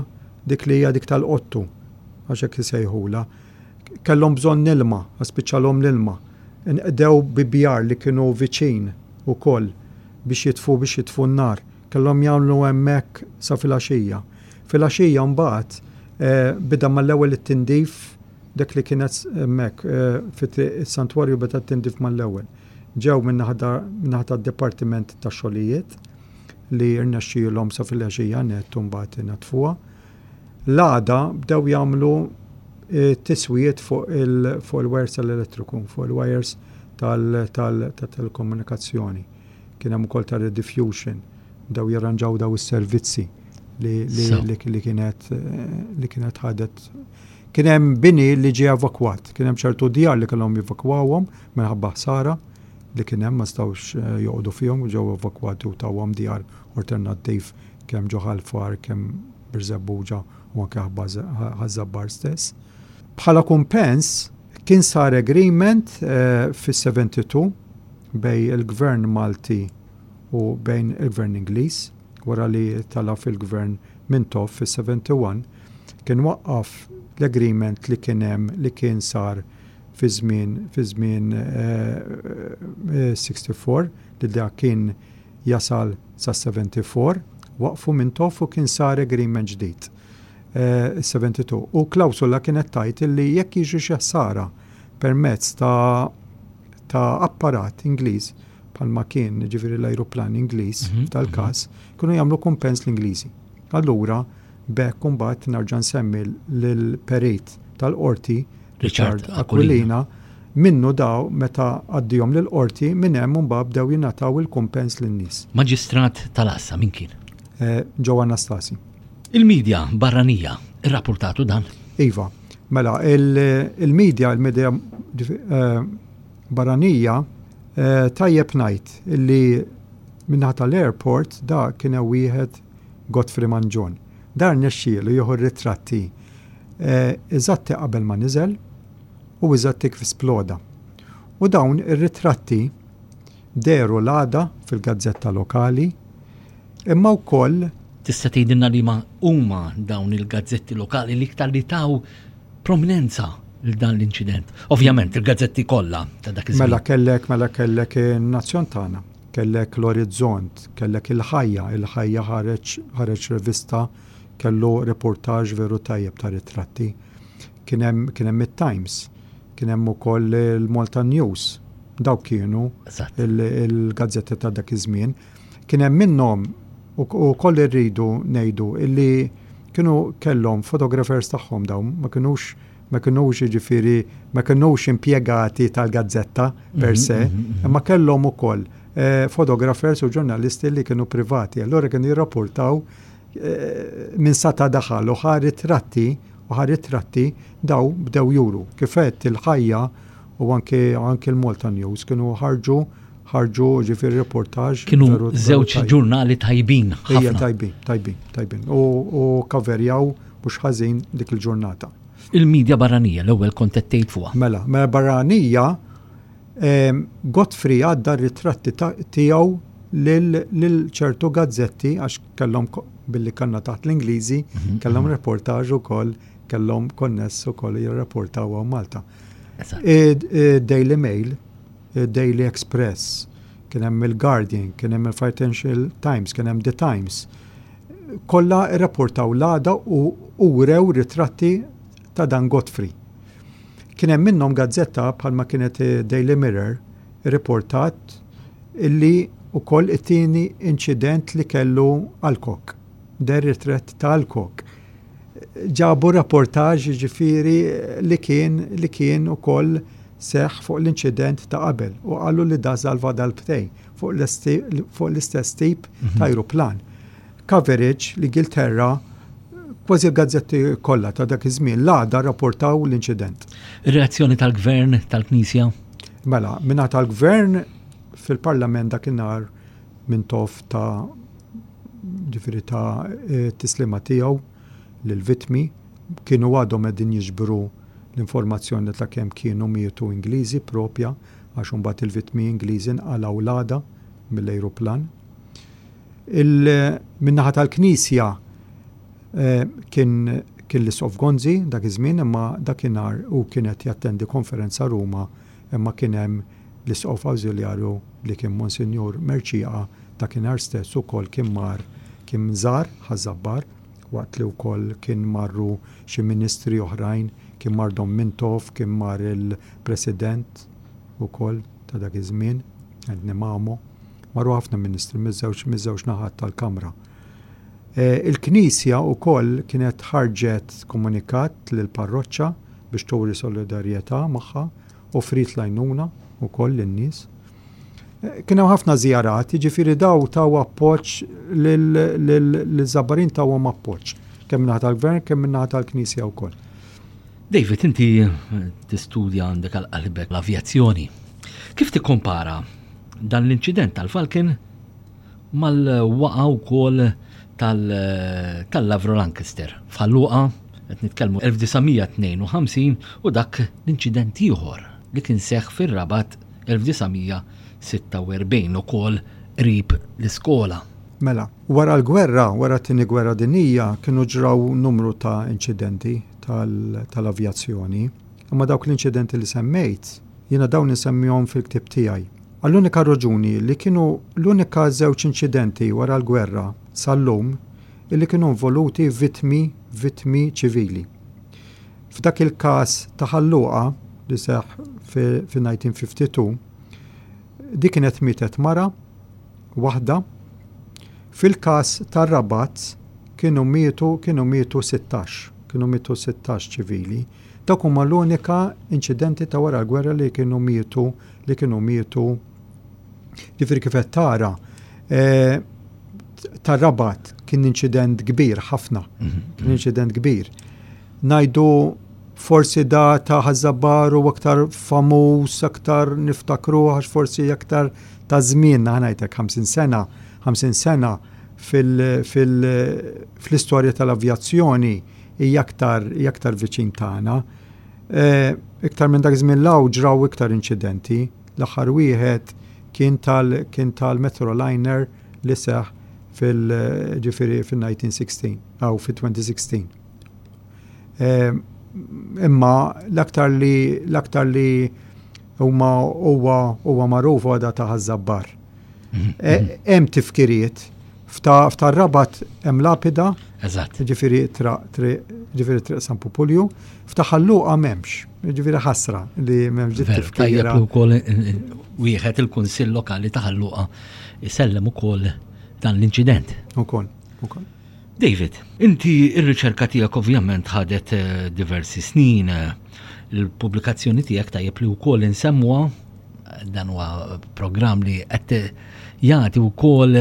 dik li hija dik tal-qottu, għax hekk isejħula. Kellhom bżonn ilma, spiċċalhom l-ilma. Inqdew bi bjar li kienu viċin ukoll biex jitfu biex jitfu n-nar. Kellhom jagħmlu hemmhekk sa filgħaxija. Filgħaxija mbagħad Beda mal-ewwel it-tindif dak li kienet hemmhekk fi triq is-Santwarju beda t-tindif mal-ewwel. Ġew min-naħa tad-Dipartiment tax-Xogħlijiet li rnexxielhom sa filgħaxija nett u mbagħad inaddfuha. L-għada bdew jagħmlu tiswijiet fuq il-wires tal-elettriku, fuq il-wires tal-telekomunikazzjoni. Kien hemm ukoll ta' rediffusion, bdew jirranġaw daw is-servizzi li kienet li kienet ħadet. Kien hemm bini li ġie evakwat, kien hemm ċertu djar li kellhom jevakwawhom minħabba ħsara li kien hemm ma setgħux joqogħdu fihom u ġew evakwati u tawhom djar alternattiv kemm ġo Ħal Far, kemm Birżebbuġa u anke Ħaż-Żabbar stess. Bħala kumpens kien sar agreement fis-72 bejn il-Gvern Malti u bejn il-Gvern Ingliż, wara li tela' fil-Gvern Mintoff fis-71, kien waqqaf l-agreement li kien hemm li kien sar fi żmien fi żmien 64 li dak kien jasal sas-74, waqfu Mintoff u kien sar agreement ġdid, is-72. U klawsola kienet tgħid illi jekk jiġri xi ħsara permezz ta' ta' apparat Ingliż, bħalma kien jiġifieri l-ajruplan Ingliż f'dal-każ, kienu jagħmlu kumpens l-Ingliżi. Allura, b'hekk imbagħad nerġa' nsemmi lill-perit tal-qorti Richard Aquilina, minnu daw meta għaddihom lill-qorti minn hemm imbagħad bdew jingħataw il-kumpens lin-nies. Maġistrat tal-Għassa min kien? Joe Anastasi. Il-media barranija rrappurtatu dan? Iva. Mela, il-media, il-media barranija, tajjeb ngħid illi min-naħa tal-airport da kien hemm wieħed Godfrey Mangion. Dan rnexxielu jieħu r-ritratti eżatti qabel ma niżel u eżatti kif sploda. U dawn ir-ritratti dehru l-għada fil-gazzetta lokali imma wkoll Tista' tgħidilna liema huma dawn il-gazzetti lokali l-iktar li taw prominenza lil dan l-inċident? Ovvjament il-gazzetti kollha ta' dak iż-żmien. Mela kellek mela kellek in-Nazzjon tagħna, kellek l-Orizzont, kellek il-Ħajja, il-Ħajja ħareġ ħareġ rivista Kellu reportage veru tajjeb ta' ritratti. Kien hemm kien hemm it-Times, kien hemm ukoll il-Malta News. Dawk kienu il-gazzetti ta' dak iż-żmien. Kien hemm minnhom ukoll irridu ngħidu illi kienu kellhom photographers tagħhom dawn ma kinux ma kinux jiġifieri ma kinux impjegati tal-gazzetta per se, imma kellhom ukoll photographers u ġurnalisti li kienu privati. Allura kienu jirrapportaw Minn sata daħal u ħa ritratti u ħa ritratti daw bdew juru. Kif għedt il-ħajja u anke anke l-Malta News kienu ħarġu ħarġu ġifieri reportage. Kienu żewġ ġurnali tajbin ħafna. Ejja tajbin, tajbin, tajbin. U, u kaverjaw mhux ħażin dik il-ġurnata. Il-medja barranija l-ewwel kont qed tgħid fuqha. Mela, mela barranija Godfrey għadda r-ritratti tiegħu lil ċertu gazzetti għax kellhom billi kanna taħt l-Ingliżi, mhm, kellhom mhm. reportaġ ukoll, kellhom konness ukoll jirrapportaw hawn Malta. Daily Mail, Daily Express, kien hemm il-Guardian, kien hemm il-Financial Times, kien hemm The Times. Kollha rrapportaw l-għada u urew ritratti ta' dan Godfrey. Kien hemm minnhom gazzetta bħalma kienet Daily Mirror irriportat illi wkoll it-tieni inċident li kellu Alcock, deher ritratt ta' Alcock. Ġabu rapportaġġ jiġifieri li kien li kien ukoll seħħ fuq l-inċident ta' qabel u qalu li da salva darbtejn fuq l-istess tip ta' ajruplan. Coverage, l-Ingilterra, kważi l-gazzetti kollha ta' dak iż-żmien l-għada rrapportaw l-inċident. Ir-reazzjoni tal-Gvern, tal-Knisja? Mela, mingħata tal-Gvern fil-Parlament dakinhar Mintoff ta' ġifieri ta' e, tislima tiegħu lill-vittmi kienu għadhom qegħdin jiġbru l-informazzjoni ta' kemm kienu mietu Ingliżi propja għax imbagħad il-vittmi Ingliżi nqalgħu l-għada mill-ajruplan. Min-naħa tal-Knisja kien kien l-Isqof Gonzi dak iż-żmien imma dakinhar hu kien qed jattendi konferenza Ruma imma kien hemm l-Isqof Awżiljarju li kien Monsinjur Mercieca dakinhar stess ukoll kien mar kien żar Ħaż-Żabbar. waqt li wkoll kien marru xi ministri oħrajn, kien mar Dom Mintoff, kien mar il-President ukoll ta' dak iż-żmien, Anthony Mamo. Marru ħafna ministri miż-żewġ miż-żewġ naħat tal-Kamra. Il-Knisja wkoll kienet ħarġet komunikat lill-parroċċa biex turi solidarjetà magħha, offriet l-għajnuna wkoll lin-nies. Kien hemm ħafna żjarat, jiġifieri daw taw appoġġ liż-Żabbarin tawhom appoġġ, kemm min-naħa tal-Gvern kemm min-naħa tal-Knisja wkoll. David, inti tistudja għandek għal qalbek l-avjazzjoni. Kif tikkompara dan l-inċident tal-Falcon mal-waqa wkoll tal-Avro Lancaster f'Ħal Luqa, qed nitkellmu 1952 u dak l-inċident ieħor li kien seħħ fir-Rabat 1946 ukoll qrib l-iskola. Mela, wara l-gwerra, wara t-Tieni Gwerra Dinjija, kienu ġraw numru ta' inċidenti tal-avjazzjoni. Imma dawk l-inċidenti li semmejt, jiena dawn insemmihom fil-ktieb tiegħi. Għall-unika raġuni li kienu l-unika żewġ inċidenti wara l-gwerra sal-lum illi kienu involuti vittmi vittmi ċivili. F'dak il-każ ta' Ħal Luqa li seħħ fi-1952, di kienet mietet mara waħda. Fil-każ tar-Rabat kienu mietu kienu mietu 16, kienu mietu 16 ċivili. Dawk huma l-unika inċidenti ta' wara l-gwerra li kienu mietu li kienu mietu. Ġifieri kif qed tara, eh, tar-Rabat kien inċident kbir ħafna, mhm. kien inċident kbir. Najdu forsi da ta' Ħaż-Żabbar u aktar famuż, aktar niftakru għax forsi aktar ta' żmien, ngħidlek 50 sena, 50 sena fil-istorja tal-avjazzjoni hija aktar hija aktar viċin tagħna. Eh, iktar minn dak żmien law ġraw iktar inċidenti. L-aħħar wieħed kien tal kien tal-Metroliner li seħ fil-ġifieri fil-1916 aw fil-2016. Eh, imma l-aktar li l-aktar li huma huwa huwa magħruf huwa da ta' Ħaż-Żabbar. Mhm. Eh, hemm tifkiriet F'ta' Rabat hemm lapida. Eżatt. Ġifieri ġifieri triq San Pupulju. F'ta' Ħal Luqa m'hemmx. Ġifieri ħasra li m'hemmx dik tifkira. Tajjeb li wkoll wieħed il-Kunsill Lokali ta' Ħal Luqa jsellem ukoll dan l-inċident. Ukoll, ukoll. David, inti r-riċerka tiegħek ovvjament ħadet eh, diversi snin. Il-pubblikazzjoni tiegħek tajjeb li wkoll insemmuha dan huwa programm li qed jagħti wkoll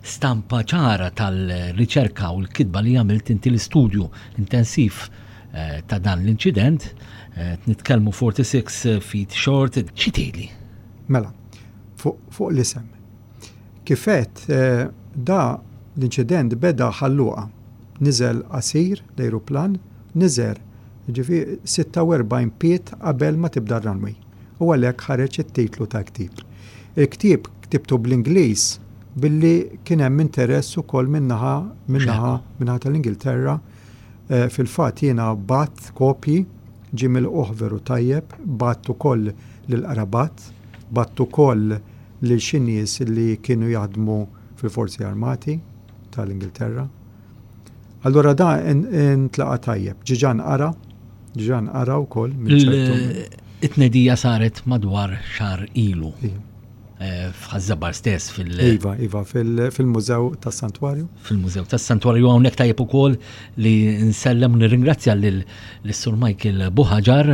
stampa ċara tal-riċerka u l-kitba li għamilt inti l-istudju intensiv eh, ta' dan l-inċident. Eh, nitkellmu 46 feet short. Xi tgħidli? Mela, fuq l-isem. Kifet eh, da l-inċident beda Ħal Luqa. Niżel qasir l-ajruplan, niżel ġifi 46 pied qabel ma tibda r-runway. U għalhekk ħareġ it-titlu tal-ktieb. Il-ktieb ktibtu bl-Ingliż billi kien hemm interess ukoll min-naħa min-naħa min-naħa tal-Ingilterra. Eh, fil-fatt jiena bgħatt kopji ġie milqugħ veru tajjeb, bgħatt ukoll lill-qrabat, bgħatt ukoll lil xi nies li kienu jaħdmu fil-Forzi Armati tal-Ingilterra. Allura da intlaqa' tajjeb. Ġiġa nqara, ġiġa nqara wkoll minn ċertu. It-tnedija saret madwar xahar ilu. Eh, F'Ħaż-Żabbar stess fil- Iva, iva, fil-Mużew tas-Santwarju. Fil-Mużew tas-Santwarju hawnhekk tajjeb ukoll li nsellem u nirringrazzja lil Sur Michael Buħaġar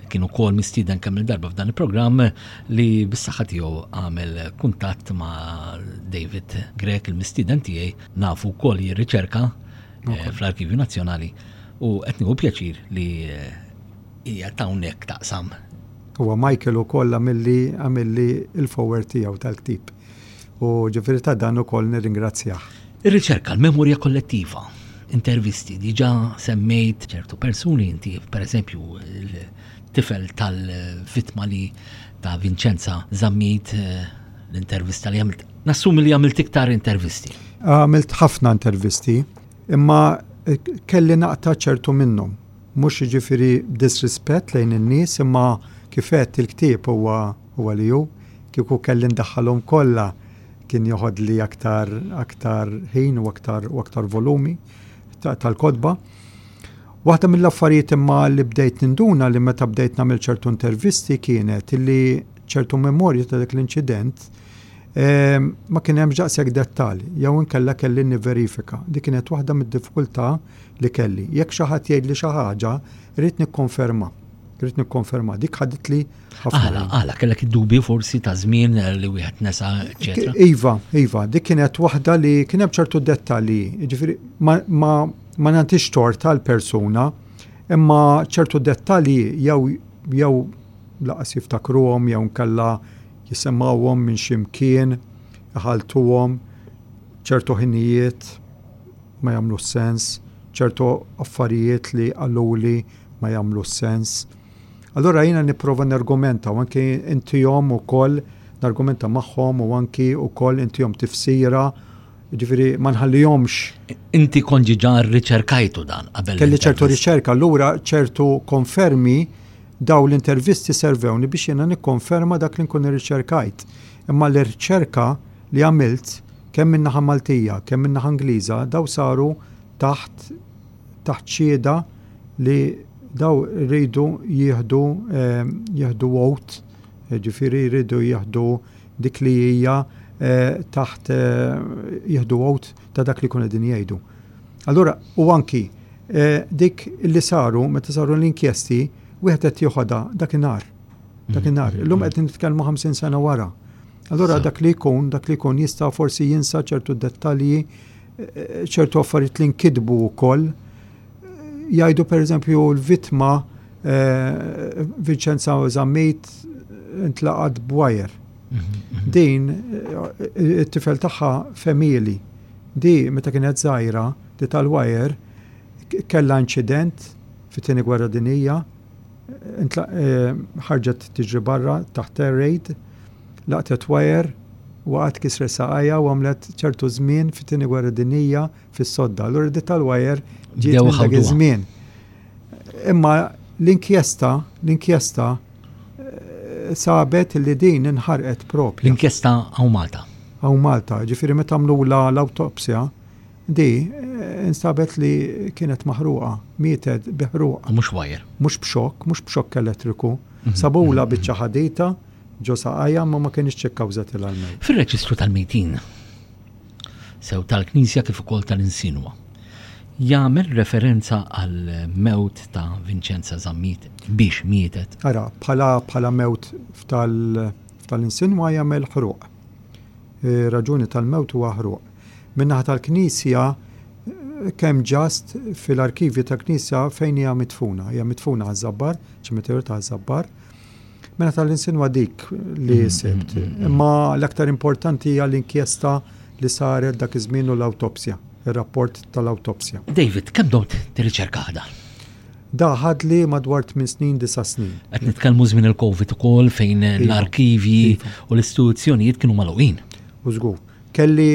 kien ukoll mistieden kemm il-darba f'dan il-programm li bis-saħħa tiegħu għamel kuntatt ma' David Grech il-mistieden tiegħi nafu wkoll jirriċerka eh, fl-Arkivju Nazzjonali u qed nieħu pjaċir li eh, hija hawnhekk taqsam. Huwa Michael ukoll għamilli għamilli il-foreword tiegħu tal-ktieb. U ġifieri ta' dan ukoll nirringrazzjah. Ir-riċerka, l-memorja kollettiva, intervisti, diġà semmejt ċertu persuni, inti per eżempju il-tifel tal-vittma li ta' Vincenza Zammit eh, l-intervista li għamilt. Nassumi li għamilt iktar intervisti. Għamilt ħafna intervisti, imma eh, kelli naqta' ċertu minnhom. Mhux jiġifieri disrispett lejn in-nies, imma kif għedt il-ktieb huwa huwa li hu. Kieku kelli ndaħħalhom kollha kien joħodli aktar aktar ħin u aktar u aktar volumi. tal-kotba. Waħda mill-affarijiet imma li bdejt ninduna li meta bdejt nagħmel ċertu intervisti kienet li ċertu memorji ta' dak l-inċident ehm, ma kien hemm daqshekk dettall jew inkella kelli nivverifika. Dik kienet waħda mid-diffikultà li kelli. Jekk xi ħadd jgħidli xi ħaġa, rrid nikkonferma. Rrid nikkonferma. Dik ħaditli ħafna. Għala, għala, kellek id-dubju forsi ta' żmien li wieħed nesa, eċetera. Iva, iva, dik kienet waħda li kien hemm ċertu dettalji. Ġifieri ma, ma, ma nagħtix tort għall-persuna, imma ċertu dettalji jew jew laqas jiftakruhom jew nkella jisimgħuhom minn xi mkien, iħalltuhom ċertu ħinijiet ma jagħmlux sens, ċertu affarijiet li qaluli ma jagħmlux sens. Allura jiena nipprova nargumenta u anki intihom ukoll nargumenta magħhom u anki ukoll intihom tifsira, ġifieri ma nħallihomx. Inti kont ġiġa rriċerkajtu dan qabel. Kelli ċertu riċerka, allura ċertu konfermi daw l-intervisti servewni biex jiena nikkonferma dak li nkun irriċerkajt. Imma l-riċerka li għamilt kemm min-naħa Maltija, kemm min-naħa Ingliża, daw saru taħt taħt xhieda li daw rridu jieħdu jieħdu oath, ġifieri jridu jieħdu dik li hija taħt jieħdu oath ta' dak li jkunu qegħdin jgħidu. Allura u anki dik li saru meta saru l-inkjesti wieħed qed joħodha dakinhar. Dakinhar. Illum qed nitkellmu 50 sena wara. Allura dak li jkun, dak li jkun jista' forsi jinsa ċertu dettalji ċertu affarijiet li nkitbu wkoll. Jgħidu pereżempju l-vittma eh, Vincenza Zammit intlaqat b'wajer. Mhm. Din eh, it-tifel tagħha femili. Di meta kienet żgħira, di tal-wajer, kellha inċident fit-tieni gwerra dinija, eh, ħarġet tiġri barra taħt air raid, Laqtet wajer, waqgħet kisret saqajha u għamlet ċertu żmien fit-Tieni Gwerra Dinjija fis-sodda. Allura di tal-wajer ġiet minn dak iż-żmien. Imma l-inkjesta, l-inkjesta eh, sabet li din inħarqet propju. L-inkjesta hawn Malta. Hawn Malta, ġifieri meta għamlula l-awtopsja, di eh, instabet li kienet maħruqa, mietet bi ħruq. Mhux wajer. Mhux b'xokk, mhux b'xokk elettriku. Mhm. Sabula mhm. biċċa ħadita ġo saqajha imma ma kinitx ikkawżatilha l-mewt. Fir-reġistru tal-mejtin, sew tal-Knisja kif ukoll tal-Insinwa, jagħmel referenza għall-mewt ta' Vinċenza Zammit biex mietet. Ara, bħala bħala mewt f'tal-Insinwa jagħmel ħruq. Raġuni tal-mewt huwa ħruq. Min-naħa tal-Knisja kemm ġast fil-arkivji tal-Knisja fejn hija mitfuna. Hija mitfuna Ħaż-Żabbar, ċimiterju ta' Ħaż-Żabbar. Mela tal-insinwa dik li mm, sibt. Mm, mm, Imma l-aktar importanti hija l-inkjesta li saret dak iż-żmien u l-awtopsja, ir-rapport tal-awtopsja. David, kemm domt tirriċerka dan? Da ħadli madwar 8 snin, 9 snin. Qed nitkellmu żmien il-Covid ukoll fejn iva. l-arkivji iva. u l-istituzzjonijiet kienu magħluqin. U żgur. Kelli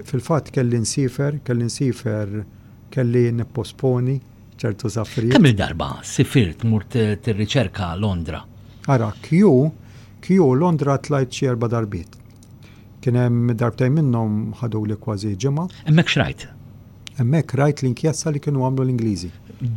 fil-fatt kelli nsifer, kelli nsifer, kelli nipposponi ċertu safrijiet. Kemm il-darba sifirt mur tirriċerka Londra? Ara, Q, Q Londra tlajt xi erba' darbiet. Kien hemm darbtejn minnhom ħaduli kważi ġimgħa. Hemmhekk x'rajt? Hemmhekk rajt l-inkjesta li kienu għamlu l-Ingliżi.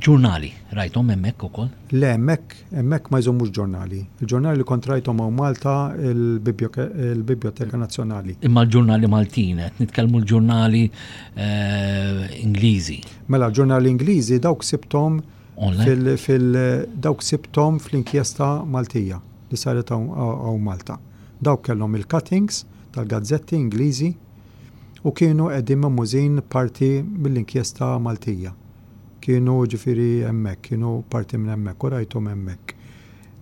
Ġurnali rajthom hemmhekk ukoll? Le, hemmhekk hemmhekk ma jżommux ġurnali. Il-ġurnali li kont rajthom hawn Malta il-Bibljoteka Nazzjonali. Imma l-ġurnali Maltin, qed nitkellmu l-ġurnali eh, Ingliżi. Mela l-ġurnali Ingliżi dawk sibthom fil, fil dawk sibthom fl-inkjesta Maltija li saret hawn Malta. Dawk kellhom il-cuttings tal-gazzetti Ingliżi u kienu qegħdin mehmużin parti mill-inkjesta Maltija. Kienu ġifieri hemmhekk, kienu parti minn hemmhekk u rajthom hemmhekk.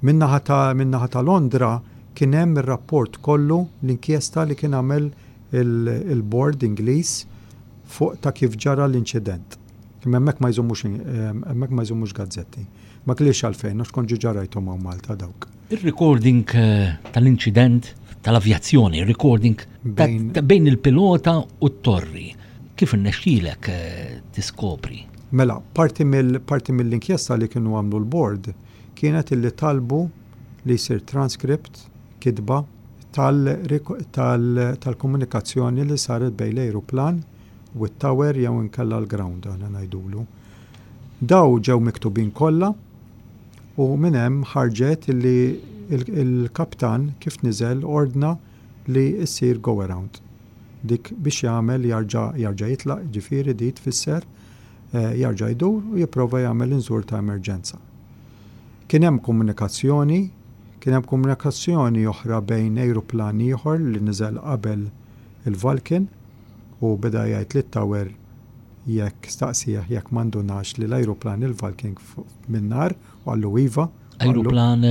Min-naħa ta' min-naħa ta' Londra kien hemm ir-rapport kollu l-inkjesta li kien għamel il-bord Ingliż fuq ta' kif ġara l-inċident. Imma hemmhekk ma jżommux hemmhekk ma jżommux gazzetti. Ma kellix għalfejn għax kont ġiġa rajthom hawn Malta dawk. Ir-recording tal-inċident tal-avjazzjoni, recording bejn il-pilota u t-torri, kif irnexxielek tiskopri? Mela, parti mill-inkjesta li kienu għamlu l-bord kienet illi talbu li jsir transcript, kitba, tal-komunikazzjoni li saret bejn l-ajruplan u t-tower jew inkella l-ground aħna ngħidulu. Daw ġew miktubin kollha u minn hemm ħarġet li il-kaptan kif niżel ordna li ssir go around. Dik biex jagħmel jarġa' jarġa' jitlaq, jiġifieri di tfisser jarġa' jdur u jipprova jagħmel inżul ta' emerġenza. Kien hemm komunikazzjoni, kien hemm komunikazzjoni oħra bejn ajruplan ieħor li niżel qabel il-Vulcan u beda jgħid lit-tower jekk staqsieh jekk ma ndunax li l-ajruplan il-Vulcan min-nar u qallu iva. Ajruplan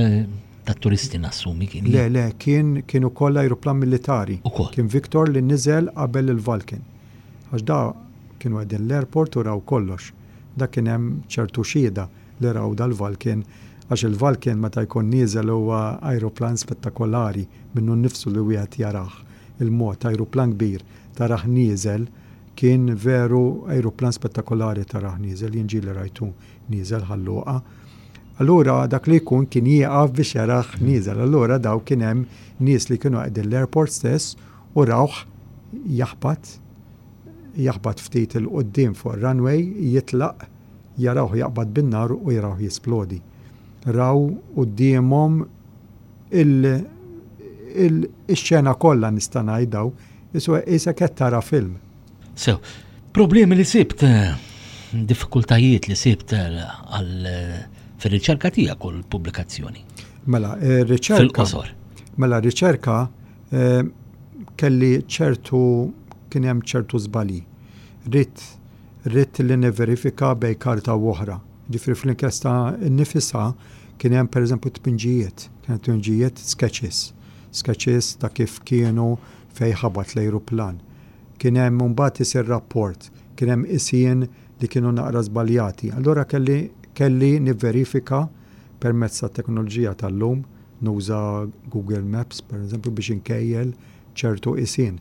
tat-turisti nassumi kien. Le, le, kien kien ukoll ajruplan militari. Ukoll. Kien Victor li niżel qabel il-Vulcan. Għax da kienu qegħdin l-airport u raw kollox. Da kien hemm ċertu xhieda li raw dal-Vulcan għax il-Vulcan meta jkun nieżel huwa ajruplan spettakolari minnu nnifsu li wieħed jarah il-mod ajruplan kbir tarah nieżel kien veru ajruplan spettakolari tarah nieżel jien ġieli rajtu nieżel Ħal Luqa. Allura dak li jkun kien jieqaf biex jarah nieżel. Allura daw kien hemm nies li kienu qegħdin l-airport stess u rawh jaħbat jaħbat ftit 'il quddiem fuq ir-runway jitlaq jarawh jaqbad bin-nar u jarawh jisplodi. Raw quddiemhom il il ix-xena kollha nista' ngħid daw, isu qisek qed tara film. Sew, problemi li sibt, diffikultajiet li sibt għal fir-riċerka tiegħek u l-pubblikazzjoni. Mela, ir-riċerka. Fil-qosor. Mela, r-riċerka eh, kelli ċertu kien hemm ċertu żbalji. Ridt Ridt li nivverifika bejn karta u oħra. Jiġifieri fl-inkjesta nnifisha kien hemm pereżempju tpinġijiet, kien hemm tpinġijiet sketches, sketches ta' kif kienu fejn ħabat l-ajruplan. Kien hemm imbagħad isir rapport, kien hemm qisien li kienu naqra żbaljati. Allura kelli kelli nivverifika permezz tat-teknoloġija tal-lum, nuża Google Maps pereżempju biex inkejjel ċertu qisien.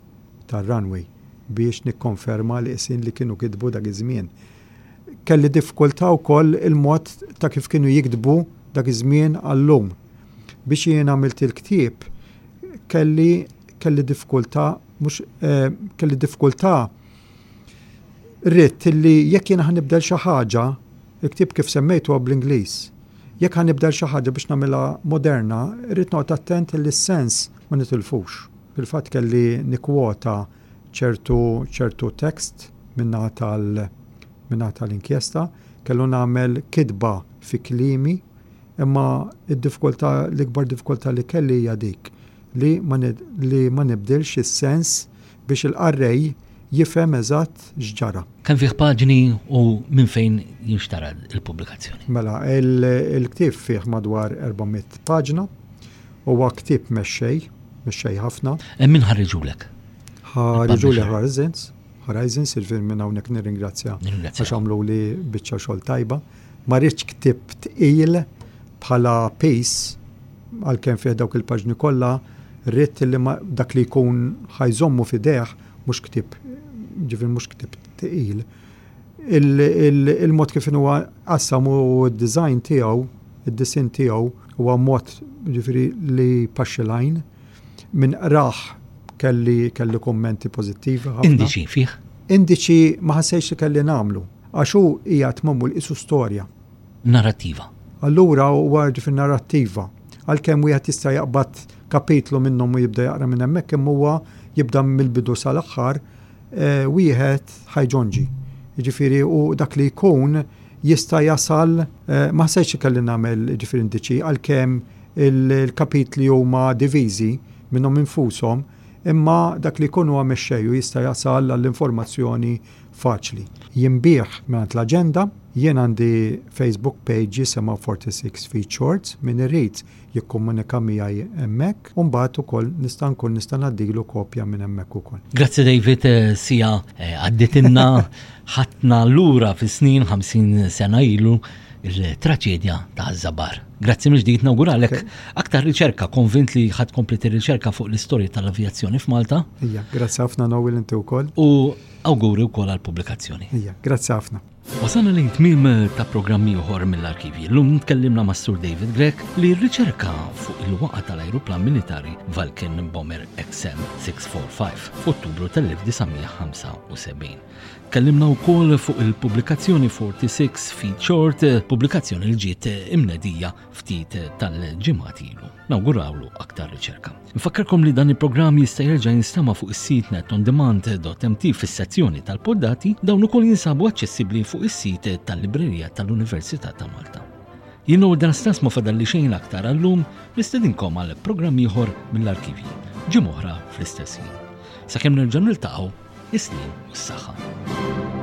tar-runway biex nikkonferma l-qisien li kienu kitbu dak iż-żmien. Kelli diffikultà wkoll il-mod ta' kif kienu jiktbu dak iż-żmien għal-lum. Biex jien għamilt il-ktieb kelli kelli diffikultà mhux eh, kelli diffikultà ridt li jekk jiena ħanibdel xi ħaġa, il-ktieb kif semmejtu huwa bl-Ingliż. Jekk ħanibdel xi ħaġa biex nagħmilha moderna, irrid noqgħod attent li s-sens ma nitilfux. Fil-fatt kelli nikkwota ċertu ċertu tekst min-naħa tal min-naħa tal-inkjesta, kellu nagħmel kitba fi kliemi, imma d-diffikultà l-ikbar diffikultà li kelli hija dik li ma li ma nibdilx is-sens biex il-qarrej jifhem eżatt x'ġara. Kemm fih paġni u minn fejn jinxtara l-pubblikazzjoni? Mela, il-ktieb fih madwar 400 paġna. Huwa ktieb mexxej, mexxej ħafna. Eh, min ħarriġulek? Ħarriġuli Horizons, Horizons, il-film minn hawnhekk nirringrazzja għax għamlu li biċċa xogħol tajba. Ma rridx ktieb tqil bħala piece għalkemm fih dawk il-paġni kollha, rrid li dak li jkun ħajżommu f'idejh mhux ktieb ġifier mhux ktieb tqil. Il-mod kif huwa qassam u d-design tiegħu, id-disinn tiegħu huwa mod ġifieri li jpaxxi l-għajn. Min qrah kelli kelli kummenti pożittivi ħafna. Indiċi fih? Indiċi ma ħassejtx li kelli nagħmlu għax hu qiegħed magħmul qisu storja. Narrattiva. Allura huwa ġifieri narrattiva. Għalkemm wieħed jista' jaqbad kapitlu minnhom u jibda jaqra minn hemmhekk imma huwa jibda mill-bidu sal-aħħar wieħed ħajġonġi. Jiġifieri u dak li jkun jista' jasal ma ħsejtx li kelli nagħmel jiġifieri indiċi għalkemm il-kapitli huma diviżi minnhom infushom imma dak li jkun huwa mexxej u jista' jasal għall-informazzjoni faċli. Jinbiegħ mingħand l-Aġenda, jien għandi Facebook page jisimha 46 Feet Shorts, min irid jikkomunika miegħi hemmhekk u mbagħad ukoll nista' nkun nista' ngħaddilu kopja minn hemmhekk ukoll. Grazzi David, eh, sija eh, għadditilna ħatna lura fis-snin 50 sena ilu il-traċedja ta' Zabar. Grazzi mill-ġdid nawguralek aktar riċerka, konvint li ħadd kompli riċerka fuq l-istorja tal-avjazzjoni f'Malta. Ija, grazzi ħafna Noel inti wkoll. U awguri wkoll għall-pubblikazzjoni. Ija, grazzi ħafna. Wasalna lejn tmiem ta' programm ieħor mill-arkivji. Llum tkellimna mas Sur David Grech li rriċerka fuq il-waqa tal-ajruplan militari Vulcan Bomber XM645 f'Ottubru tal-1975. Tkellimna wkoll fuq il-pubblikazzjoni 46 Feet Short, pubblikazzjoni li ġiet imnedija ftit tal-ġimgħat ilu. Nawgurawlu aktar riċerka. Nfakkarkom li dan il-programm jista' jerġa' jinstema' fuq is-sit netondemand.mt fis-sezzjoni tal-poddati, dawn ukoll jinsabu aċċessibbli fuq is-sit tal-Librerija tal-Università ta' Malta. Jien u dan stess ma fadalli xejn aktar għallum nistedinkom għal programm ieħor mill-arkivji, ġimgħa oħra fl-istess ħin. Sakemm nerġa' niltaqgħu, is-sliem u s-saħħa.